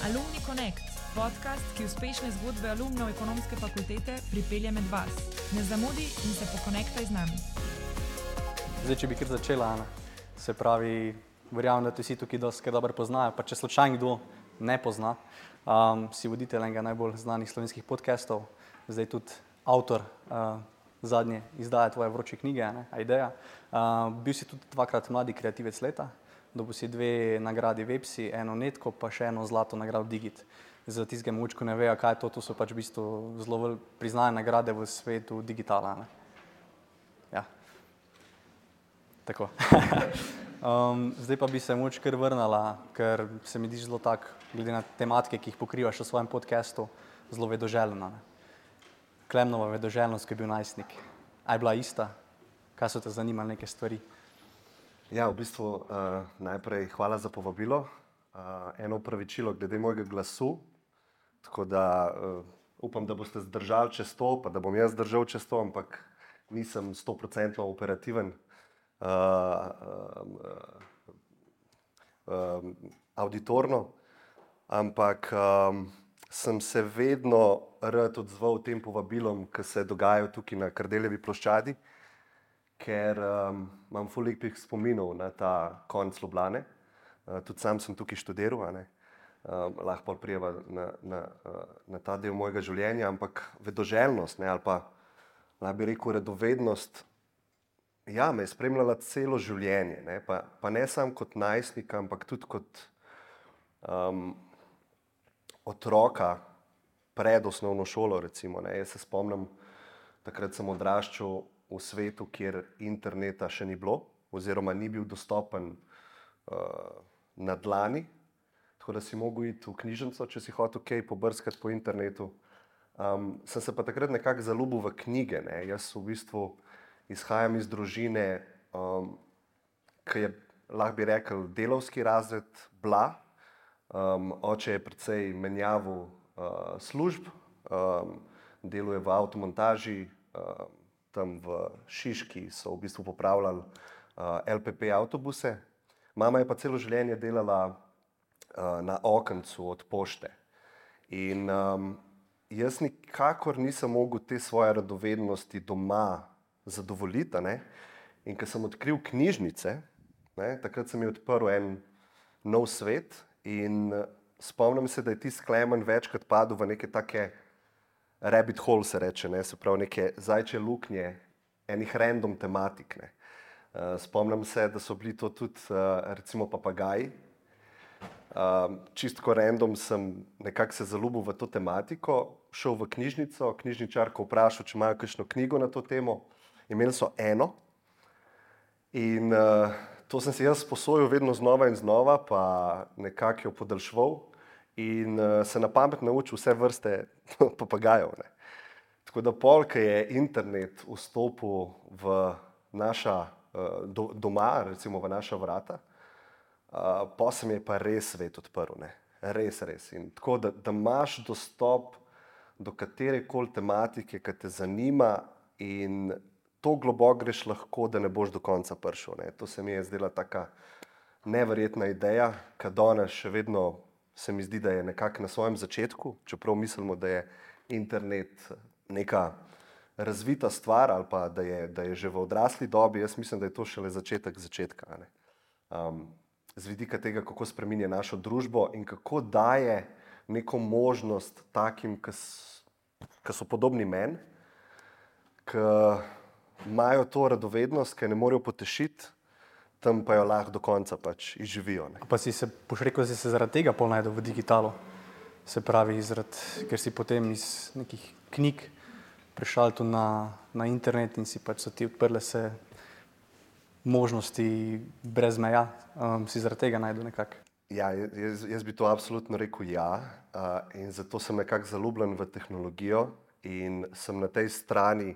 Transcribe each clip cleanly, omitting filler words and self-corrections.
Alumni Connect, podcast, ki uspešne zgodbe alumnov ekonomske fakultete pripelje med vas. Ne zamudi in se pokonektaj z nami. Zdaj, če bi kar začela, Ana, se pravi, verjamem, da te vsi tukaj dosti dobro poznajo, pa če slučajno kdo ne pozna, si voditelj enega najbolj znanih slovenskih podcastov, zdaj tudi avtor zadnje izdaje tvoje vroče knjige, Ideja. Bil si tudi dvakrat mladi kreativec leta, dobil si 2 nagradi Websi, eno Netko, pa še eno zlato nagrado Digit. Za tistega mogoče ne vejo, kaj je to so pač v bistvu zelo priznane nagrade v svetu digitala. Ja. Tako. Zdaj pa bi se mogoče kar vrnila, ker se mi zdi zelo tak, glede na tematike, ki jih pokrivaš v svojem podcastu, zelo vedoželjna. Klemnova vedoželjnost, ki je bil najstnik. A je bila ista? Kaj so te zanimale neke stvari? Ja, v bistvu najprej hvala za povabilo. Eno opravičilo glede mojega glasu, tako da upam, da boste zdržali čez to, pa da bom jaz zdržal čez to, ampak nisem 100% operativen. Auditorno, ampak sem se vedno rad odzval tem povabilom, ki se dogajajo tukaj na Kardeljevi ploščadi, ker imam ful lepih spominov na ta konec Ljubljane. Tudi sam sem tukaj študiral, lahko prijeva na ta del mojega življenja, ampak vedoželjnost, ali pa lahko bi rekel radovednost, ja, me je spremljala celo življenje, pa ne samo kot najstnika, ampak tudi kot otroka pred osnovno šolo, recimo. Jaz se spomnim, takrat sem odraščal v svetu, kjer interneta še ni bilo, oziroma ni bil dostopen na dlani, tako da si mogel iti v knjižnico, če si hotel kaj pobrskati po internetu. Sem se pa takrat nekako zaljubil v knjige. Jaz v bistvu izhajam iz družine, ki je, lahko bi rekel, delavski razred bila. Oče je precej menjaval služb, deluje v avtomontaži, tam v Šiški so v bistvu popravljali LPP avtobuse. Mama je pa celo življenje delala na okencu od pošte. In jaz nikakor nisem mogel te svoje radovednosti doma zadovoljiti. In ko sem odkril knjižnice, takrat sem jih odprl en nov svet in spomnim se, da je tisti Klemen večkrat padel v neke take rabbit hole, se reče, se pravi neke zajčje luknje enih random tematik. Spomnim se, da so bili to tudi recimo papagaji. Čistko random sem nekako se zaljubil v to tematiko, šel v knjižnico, knjižničarko vprašal, če imajo kakšno knjigo na to temo. Imeli so eno in to sem si jaz posojal vedno znova in znova, pa nekako jo podaljševal in se na pamet naučil vse vrste papagajev. Tako da pol, ko je internet vstopil v naša doma, recimo v naša vrata, pa se mi je pa res svet odprl. Res. In tako, da imaš dostop do katerekoli tematike, ki te zanima in to globoko greš lahko, da ne boš do konca prišel. To se mi je zdela taka neverjetna ideja, ki danes še vedno se mi zdi, da je nekako na svojem začetku, čeprav mislimo, da je internet neka razvita stvar ali pa da je že v odrasli dobi. Jaz mislim, da je to šele začetek začetka. Z vidika tega, kako spreminja našo družbo in kako daje neko možnost takim, ki so podobni meni, ki imajo to radovednost, ki ne morejo potešiti, tam pa jo lahko do konca pač izživijo. Pa si se, boš rekel, da si se zaradi tega pol najdel v digitalu? Se pravi, ker si potem iz nekih knjig prišel tu na internet in si pač so ti odprle se možnosti brez meja. Si zaradi tega najdel nekako? Ja, jaz bi to absolutno rekel ja. In zato sem nekako zaljubljen v tehnologijo in sem na tej strani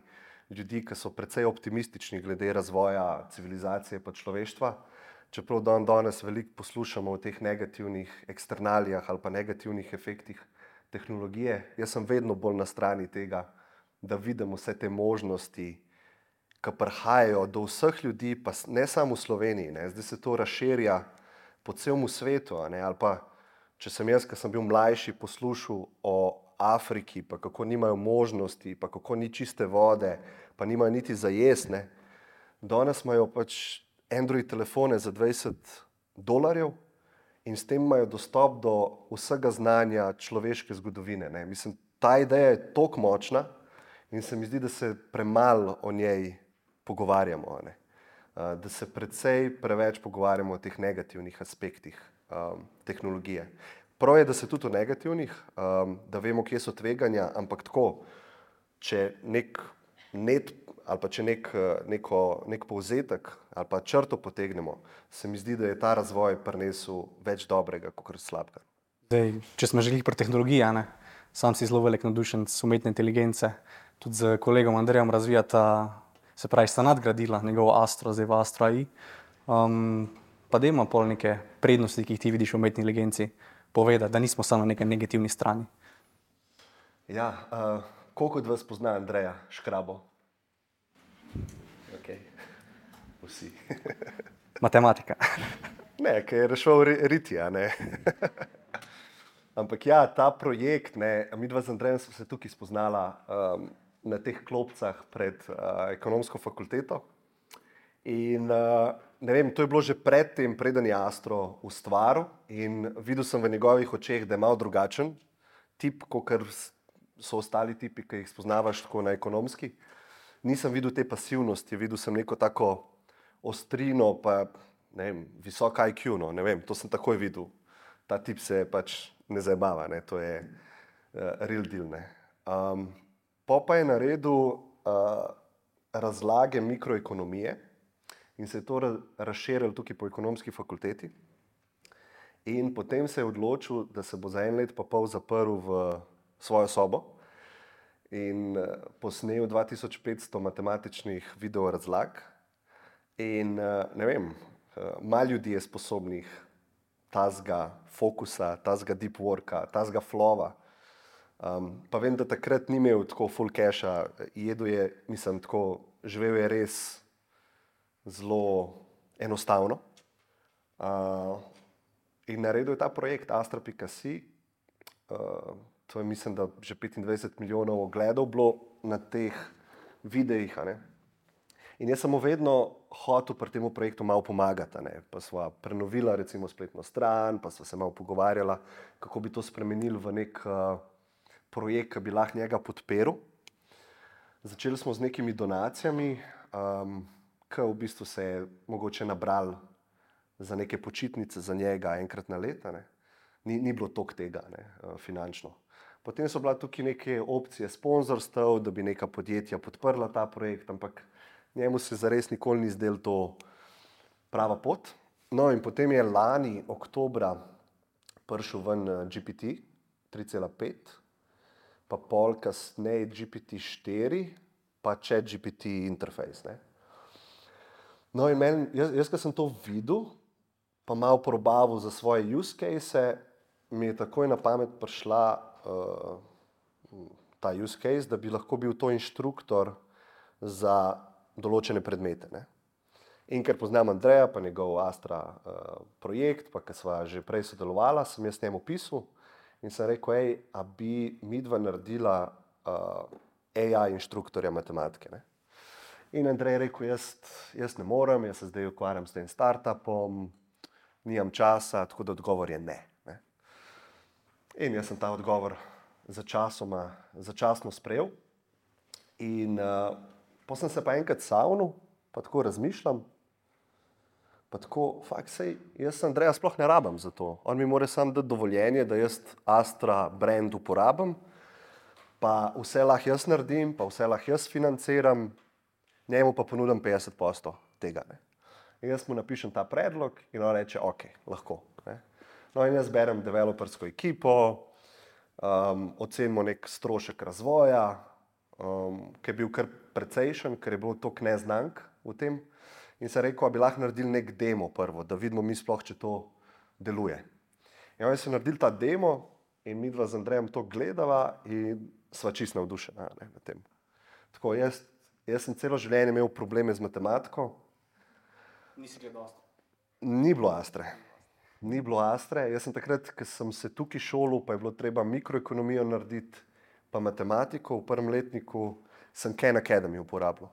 ljudi, ki so precej optimistični glede razvoja civilizacije pa človeštva. Čeprav danes veliko poslušamo o teh negativnih eksternalijah ali pa negativnih efektih tehnologije, jaz sem vedno bolj na strani tega, da vidim vse te možnosti, ki prihajajo do vseh ljudi, pa ne samo v Sloveniji. Zdaj se to razširja po celem svetu, ali pa če sem jaz, ki sem bil mlajši, poslušal o Afriki, pa kako nimajo možnosti, pa kako ni čiste vode, pa nimajo niti za jesne, danes imajo pač Android telefone za $20 in s tem imajo dostop do vsega znanja človeške zgodovine. Ne. Mislim, ta ideja je toliko močna in se mi zdi, da se premalo o njej pogovarjamo. Ne. Da se preveč pogovarjamo o teh negativnih aspektih tehnologije. Prav je, da se tudi o negativnih, da vemo, kje so tveganja, ampak tako, če nek povzetek ali pa črto potegnemo, se mi zdi, da je ta razvoj prinesel več dobrega, kot slabega. Zdaj, če smo želeli pri tehnologiji, ne, sam si zelo velik navdušenec umetne inteligence, tudi z kolegom Andrejem razvijata, se pravi, sta nadgradila njegov Astro, zdaj v Astro AI. Pa dajmo pol neke prednosti, ki jih ti vidiš v umetni inteligenci, povedati, da nismo samo na neki negativni strani. Ja, koliko od vas pozna Andreja Škrabo? Okay. Vsi. Matematika. Ne, ker je rešil Ritija, ne. Ampak ja, ta projekt, ne, midva z Andrejem smo se tukaj spoznala na teh klopcah pred ekonomsko fakulteto. In ne vem, to je bilo že predtem, preden je Astro ustvaril in videl sem v njegovih očeh, da je malo drugačen tip, kakor so ostali tipi, ki jih spoznavaš tako na ekonomski. Nisem videl te pasivnosti, videl sem neko tako ostrino, pa ne vem, visok IQ, no, ne vem, to sem takoj videl. Ta tip se pač ne zajebava, ne, to je real deal, ne. Pa je naredil razlage mikroekonomije in se je to razširilo tukaj po ekonomski fakulteti. In potem se je odločil, da se bo za 1 let pa pol zaprl v svojo sobo in posnel 2500 matematičnih video razlag. In ne vem, malo ljudi je sposobnih tazga fokusa, tazga deep worka, tazga flowa. Pa vem, da takrat ni imel tako full casha, jedel je, mislim, tako, živel je res zelo enostavno. In naredil je ta projekt Astra.si. To je, mislim, da že 25 milijonov ogledov bilo na teh videih, a ne. In jaz sem mu vedno hotel pri tem projektu malo pomagati, ne. Pa sva prenovila recimo spletno stran, pa sva se malo pogovarjala, kako bi to spremenili v nek projekt, ki bi lahko njega podprl. Začeli smo z nekimi donacijami, ki v bistvu se je mogoče nabral za neke počitnice za njega enkrat na leto, ne. Ni bilo toliko tega, ne, finančno. Potem so bila tukaj neke opcije sponzorstev, da bi neka podjetja podprla ta projekt, ampak njemu se zares nikoli ni zdelo to prava pot. No in potem je lani oktobra prišel ven GPT 3.5, pa pol kasneje GPT-4, pa ChatGPT interfejs, ne. No in jaz, ko sem to videl, pa malo probavil za svoje use case, mi je takoj na pamet prišla ta use case, da bi lahko bil to inštruktor za določene predmete, ne. In ker poznam Andreja, pa njegov Astra projekt, pa ker sva že prej sodelovala, sem jaz njemu pisal in sem rekel, a bi midva naredila AI inštruktorja matematike, ne. In Andrej je rekel, jaz ne morem, jaz se zdaj ukvarjam s tem startupom, nimam časa, tako da odgovor je ne. In jaz sem ta odgovor začasno sprejel. In potem sem se pa enkrat savnil, pa tako razmišljam, pa tako, sej, jaz Andreja sploh ne rabim za to. On mi mora samo dati dovoljenje, da jaz Astra brand uporabim, pa vse lahko jaz naredim, pa vse lahko jaz financiram, njemu pa ponudim 50% tega, ne. In jaz mu napišem ta predlog in on reče, ok, lahko, ne. No in jaz berem developersko ekipo, ocenimo nek strošek razvoja, ki je bil kar precejšen, ker je bilo toliko neznank v tem. In sem rekel, a bi lahko naredili nek demo prvo, da vidimo mi sploh, če to deluje. In oni so naredili ta demo in midva z Andrejem to gledava in sva čisto navdušena, ne, na tem. Tako, jaz sem celo življenje imel probleme z matematiko. Nisi gledal Astre? Ni bilo Astre. Ni bilo Astre. Jaz sem takrat, ko sem se tukaj šolil, pa je bilo treba mikroekonomijo narediti, pa matematiko v prvem letniku, sem Khan Academy uporabljal.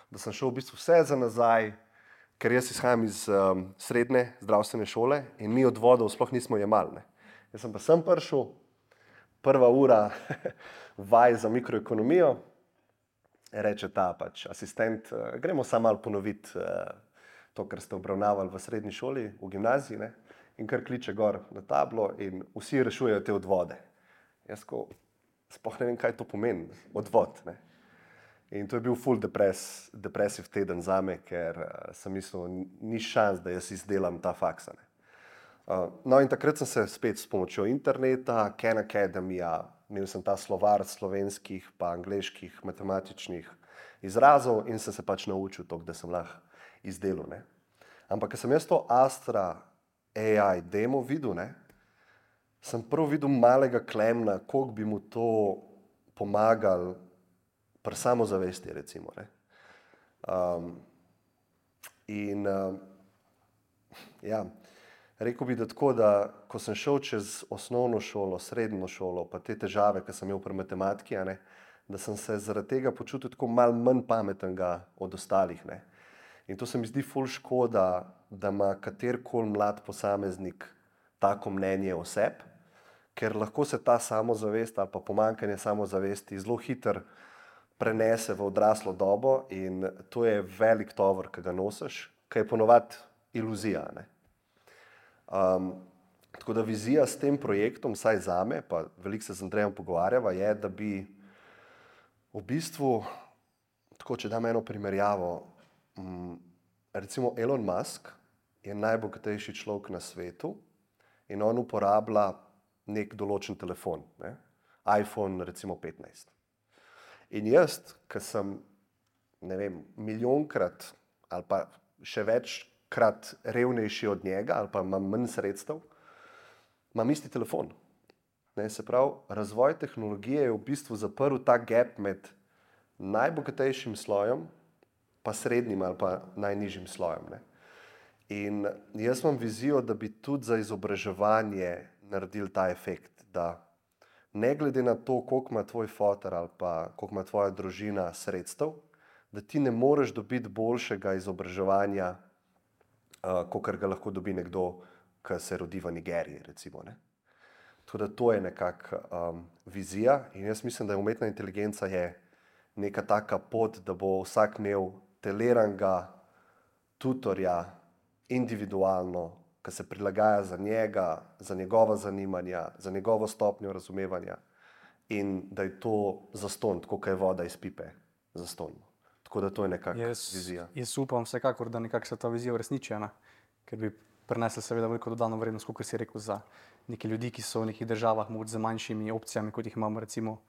Da sem šel v bistvu vse za nazaj, ker jaz izhajam iz srednje zdravstvene šole in mi od vodov sploh nismo jemali. Ne. Jaz sem pa sem prišel, prva ura vaj za mikroekonomijo, reče ta pač asistent, gremo samo malo ponoviti to, kar ste obravnavali v srednji šoli, v gimnaziji, ne? In kar kliče gor na tablo in vsi rešujejo te odvode. Jaz sploh ne vem, kaj to pomeni, odvod. Ne? In to je bil full depresiv teden zame, ker sem mislil, ni šans, da jaz izdelam ta faksa. Ne? No in takrat sem se spet s pomočjo interneta, Khan Academyja, imel sem ta slovar slovenskih pa angleških matematičnih izrazov in sem se pač naučil to, da sem lahko izdelal. Ne? Ampak, ko sem jaz to Astra AI demo videl, ne, sem prvo videl malega Klemna, koliko bi mu to pomagal pri samozavesti, recimo. Ne. Ja, rekel bi, da tako, da ko sem šel čez osnovno šolo, srednjo šolo, pa te težave, ki sem imel pri matematiki, ne, da sem se zaradi tega počutil tako malo manj pametnega od ostalih. Ne. In to se mi zdi ful škoda, da ima katerikoli mlad posameznik tako mnenje o sebi, ker lahko se ta samozavest ali pa pomanjkanje samozavesti zelo hitro prenese v odraslo dobo in to je velik tovor, ki ga nosiš, ki je ponovadi iluzija. Ne? Tako da vizija s tem projektom, vsaj zame, pa veliko se z Andrejem pogovarjava, je, da bi v bistvu, tako če dam eno primerjavo, recimo Elon Musk je najbogatejši človek na svetu in on uporablja nek določen telefon, ne? iPhone recimo 15. In jaz, ki sem, ne vem, milijonkrat ali pa še večkrat revnejši od njega ali pa imam manj sredstev, imam isti telefon. Ne? Se pravi, razvoj tehnologije je v bistvu zaprl ta gap med najbogatejšim slojem pa srednjim ali pa najnižjim slojem. Ne? In jaz imam vizijo, da bi tudi za izobraževanje naredili ta efekt, da ne glede na to, koliko ima tvoj foter ali pa koliko ima tvoja družina sredstev, da ti ne moreš dobiti boljšega izobraževanja, kakor ga lahko dobi nekdo, ki se rodi v Nigeriji, recimo. Ne? Tako da to je nekako vizija in jaz mislim, da je umetna inteligenca je neka taka pot, da bo vsak imel teliranega tutorja individualno, ki se prilagaja za njega, za njegova zanimanja, za njegovo stopnjo razumevanja in da je to zastonj, tako kot je voda iz pipe, zastonj. Tako da to je nekakšna vizija. Jaz upam vsekakor, da nekako se ta vizija uresniči, ker bi prinesla seveda veliko dodano vrednost, kot si rekel, za neke ljudi, ki so v nekih državah mogoče z manjšimi opcijami, kot jih imamo recimo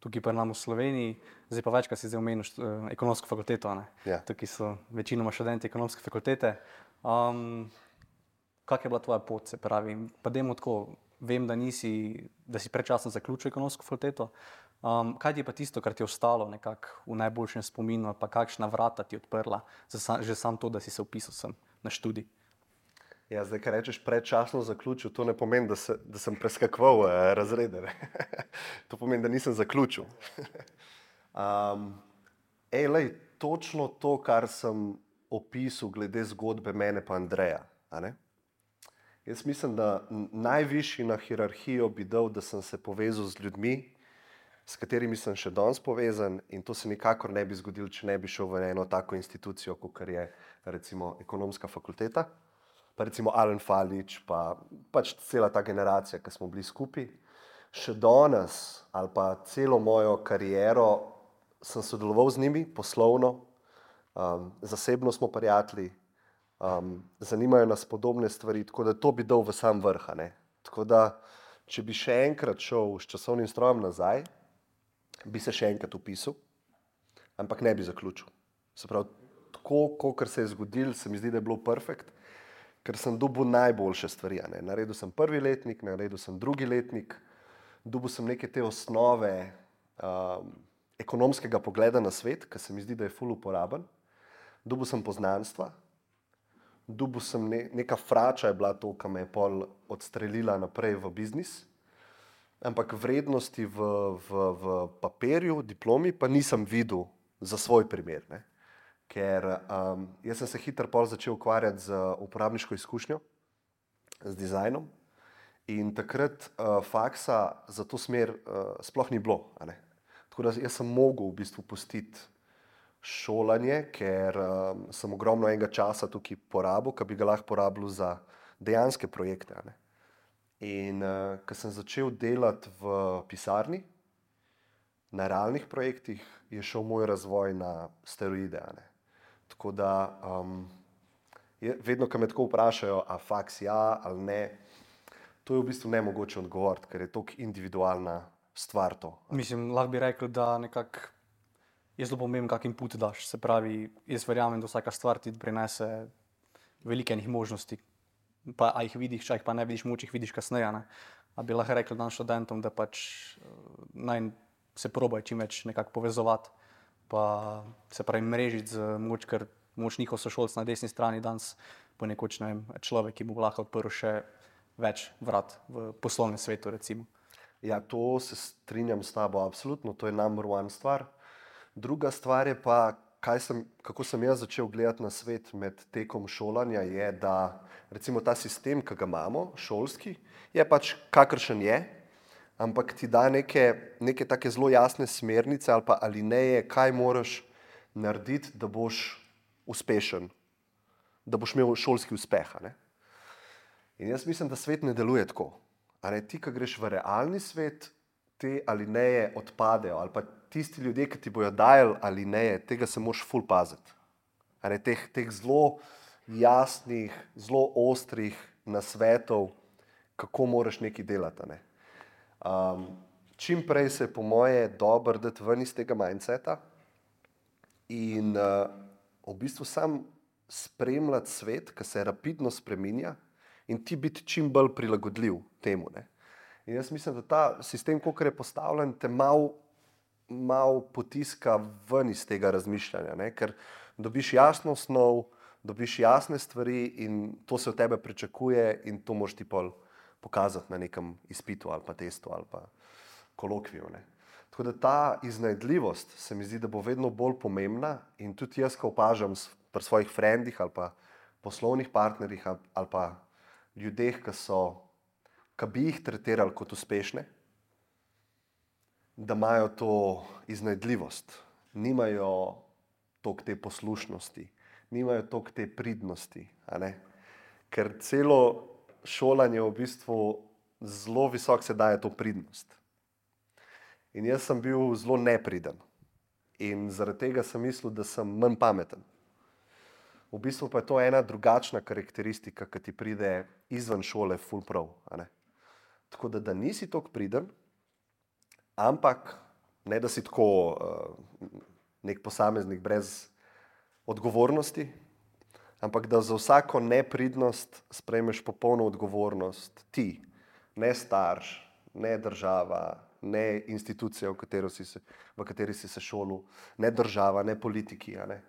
tukaj pri nam v Sloveniji. Zdaj pa večkrat si omenil ekonomsko fakulteto. Ja. Tukaj so večinoma študenti ekonomske fakultete. Kak je bila tvoja pot, se pravi? Pa dajmo tako, vem, da si predčasno zaključil ekonomsko fakulteto. Kaj ti je pa tisto, kar ti je ostalo nekako v najboljšem spominu, ali pa kakšna vrata ti je odprla, že sam to, da si se vpisal sem na študij? Ja, zdaj, kar rečeš predčasno zaključil, to ne pomeni, da sem preskakoval razrede. Ne? To pomeni, da nisem zaključil. Točno to, kar sem opisal glede zgodbe mene pa Andreja. A ne? Jaz mislim, da najvišji na hierarhijo bi dal, da sem se povezal z ljudmi, s katerimi sem še danes povezan in to se nikakor ne bi zgodilo, če ne bi šel v eno tako institucijo, kot je recimo ekonomska fakulteta. Pa recimo Alen Falič, pa pač cela ta generacija, ki smo bili skupaj. Še danes ali pa celo mojo kariero sem sodeloval z njimi poslovno, zasebno smo prijatelji, zanimajo nas podobne stvari, tako da to bi dal v sam vrh. Ne? Tako da, če bi še enkrat šel s časovnim strojem nazaj, bi se še enkrat vpisal, ampak ne bi zaključil. Se pravi, tako, kot se je zgodilo, se mi zdi, da je bilo perfekt, ker sem dobil najboljše stvari. Ne? Naredil sem prvi letnik, naredil sem drugi letnik, dobil sem neke te osnove ekonomskega pogleda na svet, ki se mi zdi, da je ful uporaben. Dobil sem poznanstva, Dobil sem neka frača je bila to, ki me je pol odstrelila naprej v biznis, ampak vrednosti v papirju, diplomi pa nisem videl za svoj primer, ne. Ker jaz sem se hitro pol začel ukvarjati z uporabniško izkušnjo, z dizajnom in takrat faksa za to smer sploh ni bilo, a ne. Tako da jaz sem mogel v bistvu pustiti šolanje, ker sem ogromno enega časa tukaj porabil, ki bi ga lahko porabil za dejanske projekte, a ne. In ko sem začel delati v pisarni, na realnih projektih, je šel moj razvoj na steroide, a ne. Tako da vedno, ko me tako vprašajo, a faks ja ali ne, to je v bistvu nemogoče odgovoriti, ker je toliko individualna stvar to. Mislim, lahko bi rekel, da nekako je zelo pomembno, kak input daš. Se pravi, jaz verjamem, da vsaka stvar ti prinese veliko enih možnosti. Pa a jih vidiš, če jih pa ne vidiš, mogoče jih vidiš kasneje, ne. A bi lahko rekel dan študentom, da pač naj se probajo čim več nekako povezovati, pa se pravi mrežiti z mogoče, ker mogoče njihov sošolc na desni strani danes ponekoč, ne vem, človek, ki mu bo lahko odprl še več vrat v poslovnem svetu, recimo. Ja, to se strinjam s tabo, absolutno, to je number one stvar. Druga stvar je pa, kako sem jaz začel gledati na svet med tekom šolanja, je, da recimo ta sistem, ki ga imamo, šolski, je pač kakršen je, ampak ti da neke take zelo jasne smernice ali pa alineje, kaj moraš narediti, da boš uspešen, da boš imel šolski uspeh, a ne. In jaz mislim, da svet ne deluje tako. A ne, ti, ko greš v realni svet, te alineje odpadejo, ali pa tisti ljudje, ki ti bojo dajali alineje, tega se moraš ful paziti. A ne, teh zelo jasnih, zelo ostrih nasvetov, kako moraš nekaj delati, a ne. Čim prej se je po moje dobro dati ven iz tega mindseta in v bistvu sam spremljati svet, ki se rapidno spreminja in ti biti čim bolj prilagodljiv temu, ne. In jaz mislim, da ta sistem, kakor je postavljen, te mal potiska ven iz tega razmišljanja, ne, ker dobiš jasno osnov, dobiš jasne stvari in to se od tebe pričakuje in to moraš ti pol pokazati na nekem izpitu ali pa testu ali pa kolokviju, ne. Tako da ta iznajdljivost se mi zdi, da bo vedno bolj pomembna in tudi jaz, ko opažam pri svojih frendih ali pa poslovnih partnerjih ali pa ljudeh, ki bi jih tretirali kot uspešne, da imajo to iznajdljivost, nimajo toliko te poslušnosti, nimajo toliko te pridnosti, a ne. Ker celo šolanje v bistvu zelo visoko se daje to pridnost. In jaz sem bil zelo nepriden in zaradi tega sem mislil, da sem manj pameten. V bistvu pa je to ena drugačna karakteristika, ki ti pride izven šole ful prav, a ne. Tako da nisi toliko priden, ampak ne, da si tako nek posameznik brez odgovornosti, ampak da za vsako nepridnost sprejmeš popolno odgovornost ti, ne starš, ne država, ne institucija, v kateri si se šolil, ne država, ne politiki, a ne.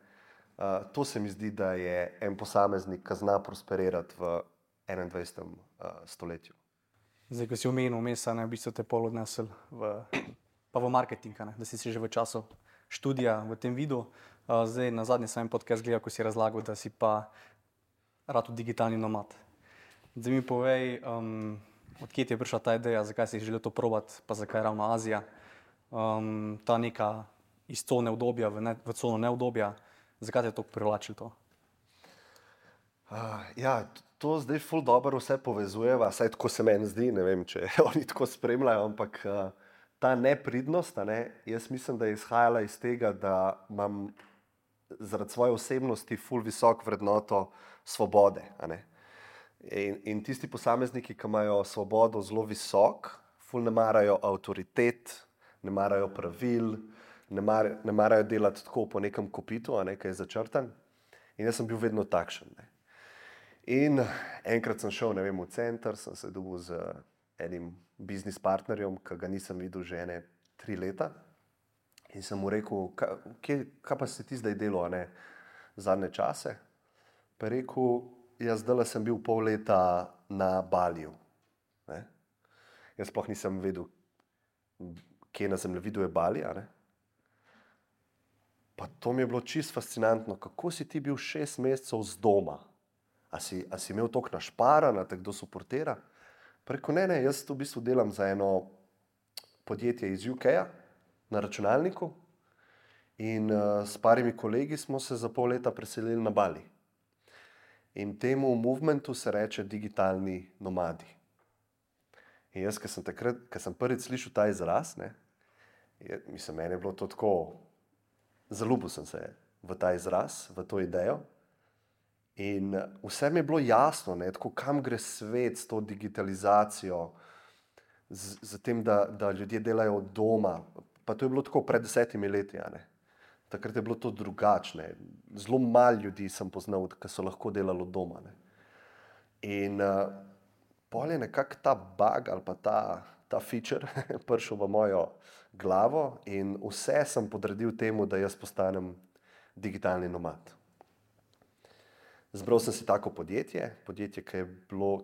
To se mi zdi, da je en posameznik, ki zna prosperirati v 21. stoletju. Zdaj, ko si omenil vmes, v bistvu te pol odnesel pa v marketing, ne? Da si že v času študija v tem videl. Zdaj, na zadnje sem en podcast gledal, ko si razlagal, da si pa rad digitalni nomad. Zdaj mi povej, odkje ti je prišla ta ideja, zakaj si želel to probati, pa zakaj ravno Azija, ta neka iz cone udobja v cono neudobja, zakaj te je toliko privlačilo to? Ja, to zdaj ful dobro vse povezujeva, saj tako se meni zdi, ne vem, če oni tako spremljajo, ampak ta nepridnost, a ne, jaz mislim, da je izhajala iz tega, da imam zaradi svoje osebnosti ful visoko vrednoto svobode, a ne. In tisti posamezniki, ki imajo svobodo zelo visok, ful ne marajo avtoritet, ne marajo pravil, ne marajo delati tako po nekem kopitu, a ne, ki je začrtan. In jaz sem bil vedno takšen, ne. In enkrat sem šel, ne vem, v center, sem se dobil z enim biznis partnerjem, ki ga nisem videl že 3 leta. In sem mu rekel, kaj pa si ti zdaj delal, a ne, zadnje čase? Pa je rekel, jaz zdaj sem bil pol leta na Baliju. Ne? Jaz sploh nisem vedel, kje na zemljevidu je Bali. Pa to mi je bilo čisto fascinantno, kako si ti bil 6 mesecev z doma. A si imel toliko našparana, te kdo suportira? Preko ne, jaz v bistvu delam za eno podjetje iz UK-ja na računalniku in s parimi kolegi smo se za pol leta preselili na Bali. In temu movementu se reče digitalni nomadi. In jaz, ko sem prvič slišal ta izraz, mislim, meni je bilo to tako, zaljubil sem se v ta izraz, v to idejo. In vse mi je bilo jasno, tako, kam gre svet s to digitalizacijo, z tem, da ljudje delajo od doma. Pa to je bilo tako pred 10 leti. Takrat je bilo to drugačne. Zelo malo ljudi sem poznal, ki so lahko delali od doma. In pol je nekako ta bug ali pa ta feature prišel v mojo glavo in vse sem podredil temu, da jaz postanem digitalni nomad. Zbral sem si tako podjetje, ki je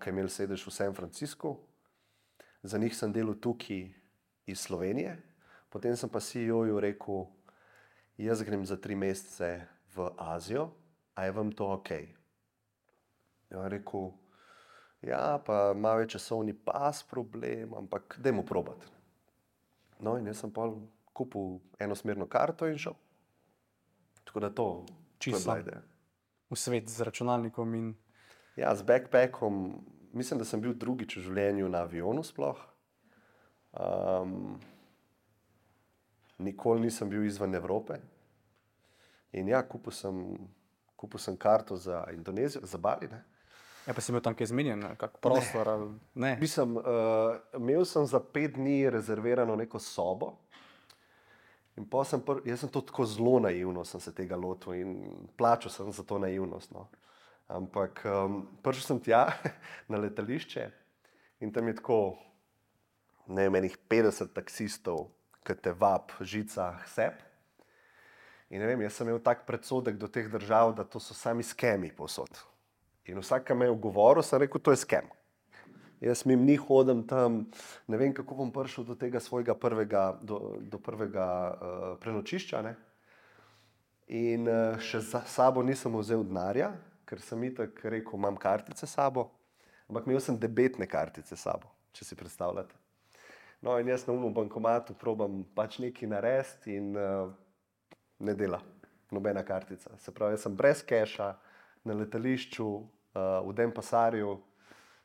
imelo sedež v San Franciscu. Za njih sem delal tukaj iz Slovenije. Potem sem pa CEO-ju rekel, jaz grem za 3 mesece v Azijo, a je vam to ok? Ja, rekel, ja, pa malo je časovni pas problem, ampak dajmo probati. No, in jaz sem pa kupil enosmerno karto in šel. Tako da to je bila ideja. V svet z računalnikom in... Ja, z backpackom, mislim, da sem bil drugič v življenju na avionu sploh. Nikoli nisem bil izven Evrope. In ja, kupil sem karto za Indonezijo, za Bali. Ja, pa si imel tam kaj izmenjen, kak prostor ali ne? Imel sem za 5 dni rezervirano neko sobo. In jaz sem to tako zelo naivno sem se tega lotil in plačal sem za to naivnost. No. Ampak prišel sem tja na letališče in tam je tako, ne vem, enih 50 taksistov, ki te vab žica sep. In ne vem, jaz sem imel tak predsodek do teh držav, da to so sami skemi povsod. In vsak, ki me je govoril, sem rekel, to je skem. Jaz mimo njih hodim tam, ne vem, kako bom prišel do tega svojega prvega prenočišča. In še za sabo nisem vzel denarja, ker sem itak rekel, imam kartice s sabo, ampak imel sem debetne kartice s sabo, če si predstavljate. No in jaz na unem bankomatu probam pač nekaj narediti in ne dela nobena kartica. Se pravi, jaz sem brez keša na letališču, v Denpasarju,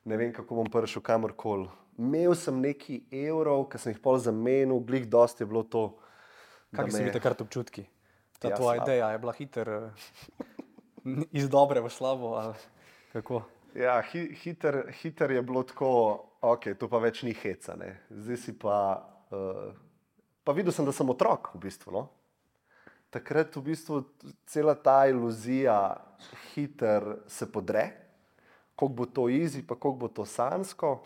ne vem, kako bom prišel kamorkoli. Imel sem nekaj evrov, ki sem jih pol zamenil, glih dosti je bilo to. Kakšni so bili takrat občutki? Ta tvoja ideja je bila iz dobre v slabo ali kako? Ja, hiter je bilo tako, ok, to pa več ni heca. Zdaj si pa videl sem, da sem otrok v bistvu. No? Takrat v bistvu cela ta iluzija hiter se podre. Koliko bo to easy, pa koliko bo to sanjsko,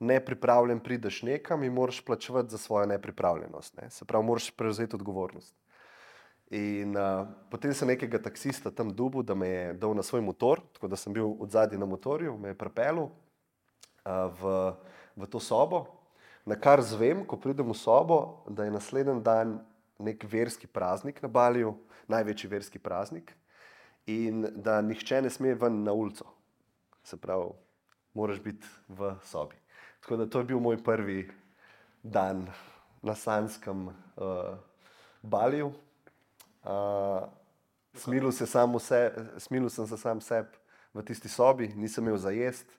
nepripravljen prideš nekam in moraš plačevati za svojo nepripravljenost. Se pravi, moraš prevzeti odgovornost. In potem sem nekega taksista tam dobil, da me je dal na svoj motor, tako da sem bil odzadaj na motorju, me je pripeljal v to sobo, na kar zvem, ko pridem v sobo, da je naslednji dan nek verski praznik na Baliju, največji verski praznik, in da nihče ne sme ven na ulico. Se pravi, moraš biti v sobi. Tako da to je bil moj prvi dan na sanjskem Baliju. Smilil sem se sam sebi v tisti sobi, nisem imel za jesti.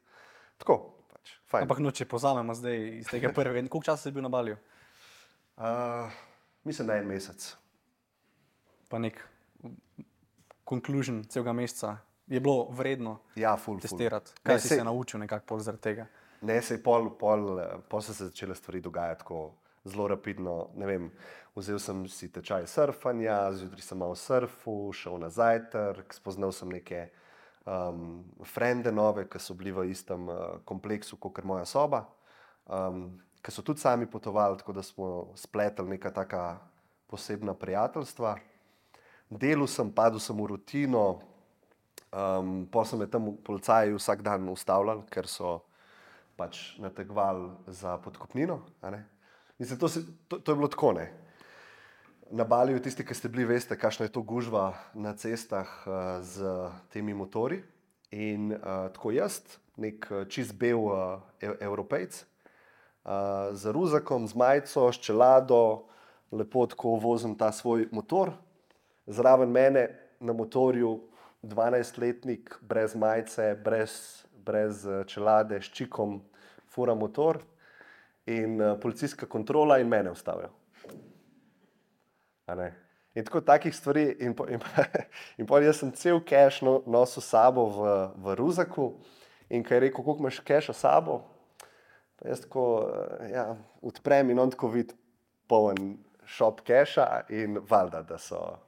Tako, pač, fajn. Ampak če povzamemo zdaj iz tega prvega, koliko časa si bil na Baliju? Mislim, da 1 mesec. Pa nek conclusion celega meseca. Je bilo vredno testirati? Kaj si se naučil nekako zaradi tega? Ne, pol so se začele stvari dogajati tako zelo rapidno. Ne vem, vzel sem si tečaj surfanja, zjutraj sem malo surfal, šel na zajtrk, spoznal sem neke frende nove, ki so bili v istem kompleksu, kakor moja soba, ki so tudi sami potovali, tako da smo spletli neka taka posebna prijateljstva. Delal sem, padel sem v rutino, Pol so me tam policaji vsak dan ustavljali, ker so pač nategovali za podkupnino. A ne. Mislim, to je bilo tako, ne. Na Baliju, tisti, ki ste bili, veste, kakšna je to gužva na cestah z temi motorji. In tako jaz, nek čist bel Evropejc, z ruzakom, z majico, s čelado, lepo tako vozim ta svoj motor. Zraven mene na motorju 12-letnik, brez majice, brez čelade, s čikom, fura motor in policijska kontrola in mene ustavijo. In tako takih stvari, in potem jaz sem cel keš nosil sabo v ruzaku in ko je rekel, koliko imaš keša sabo, pa jaz tako odprem in on tako vidi poln šop keša in valjda, da so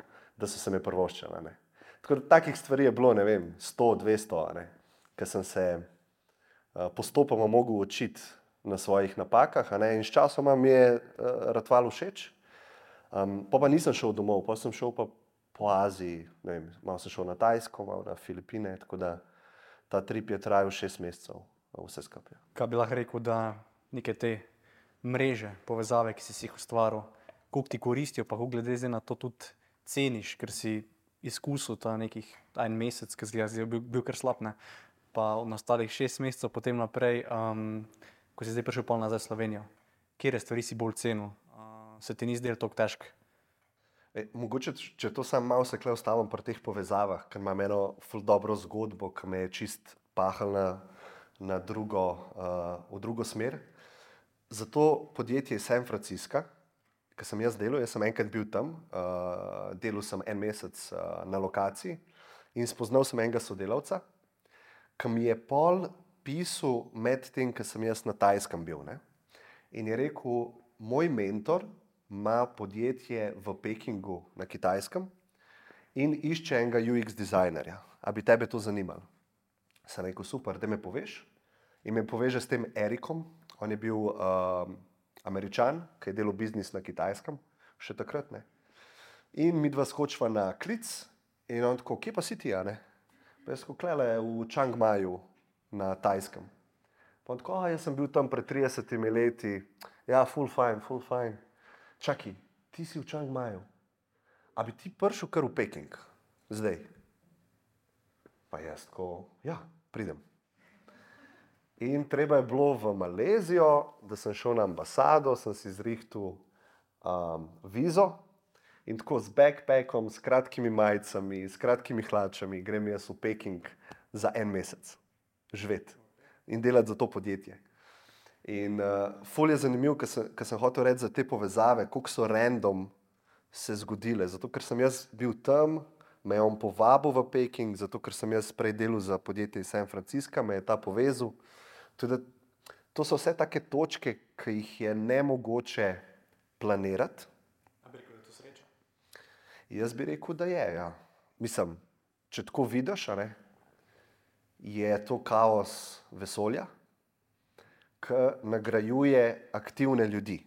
se me privoščili. Tako da takih stvari je bilo, ne vem, 100, 200, ker sem se postopoma mogel učiti na svojih napakah, in s časoma mi je Ratval všeč. Pa nisem šel domov, pa sem šel pa po Aziji, ne vem, malo sem šel na Tajsko, malo na Filipine, tako da ta trip je trajal 6 mesecev, vse skupaj. Kaj bi lahko rekel, da neke te mreže, povezave, ki si jih ustvaril, koliko ti koristijo, pa koliko glede na to tudi ceniš, ker si izkusil ta nekih en mesec, ki je bil kar slab, ne? Pa od nastalih 6 mesecev potem naprej, ko si zdaj prišel pol nazaj v Slovenijo, kjer stvari si bolj cenil? Se ti ni zdelo toliko težko? Mogoče, če to sam malo se kle ustavim pri teh povezavah, ker imam eno ful dobro zgodbo, ki me je čist pahal v drugo smer. Zato podjetje iz San Francisca, ki sem jaz delal, jaz sem enkrat bil tam, delal sem en mesec na lokaciji in spoznal sem enega sodelavca, ki mi je pol pisal med tem, ko sem jaz na Tajskem bil. Ne? In je rekel, moj mentor ima podjetje v Pekingu na Kitajskem in išče enega UX dizajnerja. A bi tebe to zanimalo? Sem rekel, super, da me poveš. In me poveže s tem Erikom, on je bil Američan, ki je delal biznis na Kitajskem, še takrat, ne. In midva skočiva na klic in on tako, kje pa si ti, ne? Pa jaz tako, klele v Chiang Maju na Tajskem. Pa on tako, jaz sem bil tam pred 30 leti, ja, full fine. Čakaj, ti si v Chiang Maju. A bi ti prišel kar v Peking, zdaj? Pa jaz tako, ja, pridem. In treba je bilo v Malezijo, da sem šel na ambasado, sem si zrihtal vizo in tako z backpackom, s kratkimi majicami, s kratkimi hlačami grem jaz v Peking za en mesec živeti in delati za to podjetje. In ful je zanimiv, ker sem hotel reči za te povezave, koliko so random se zgodile. Zato, ker sem jaz bil tam, me je on povabil v Peking, zato, ker sem jaz prej delal za podjetje iz San Francisca, me je ta povezal. Tudi, to so vse take točke, ki jih je nemogoče planirati. A bi rekel, da je to sreča? Jaz bi rekel, da je, ja. Mislim, če tako vidiš, je to kaos vesolja, ki nagrajuje aktivne ljudi.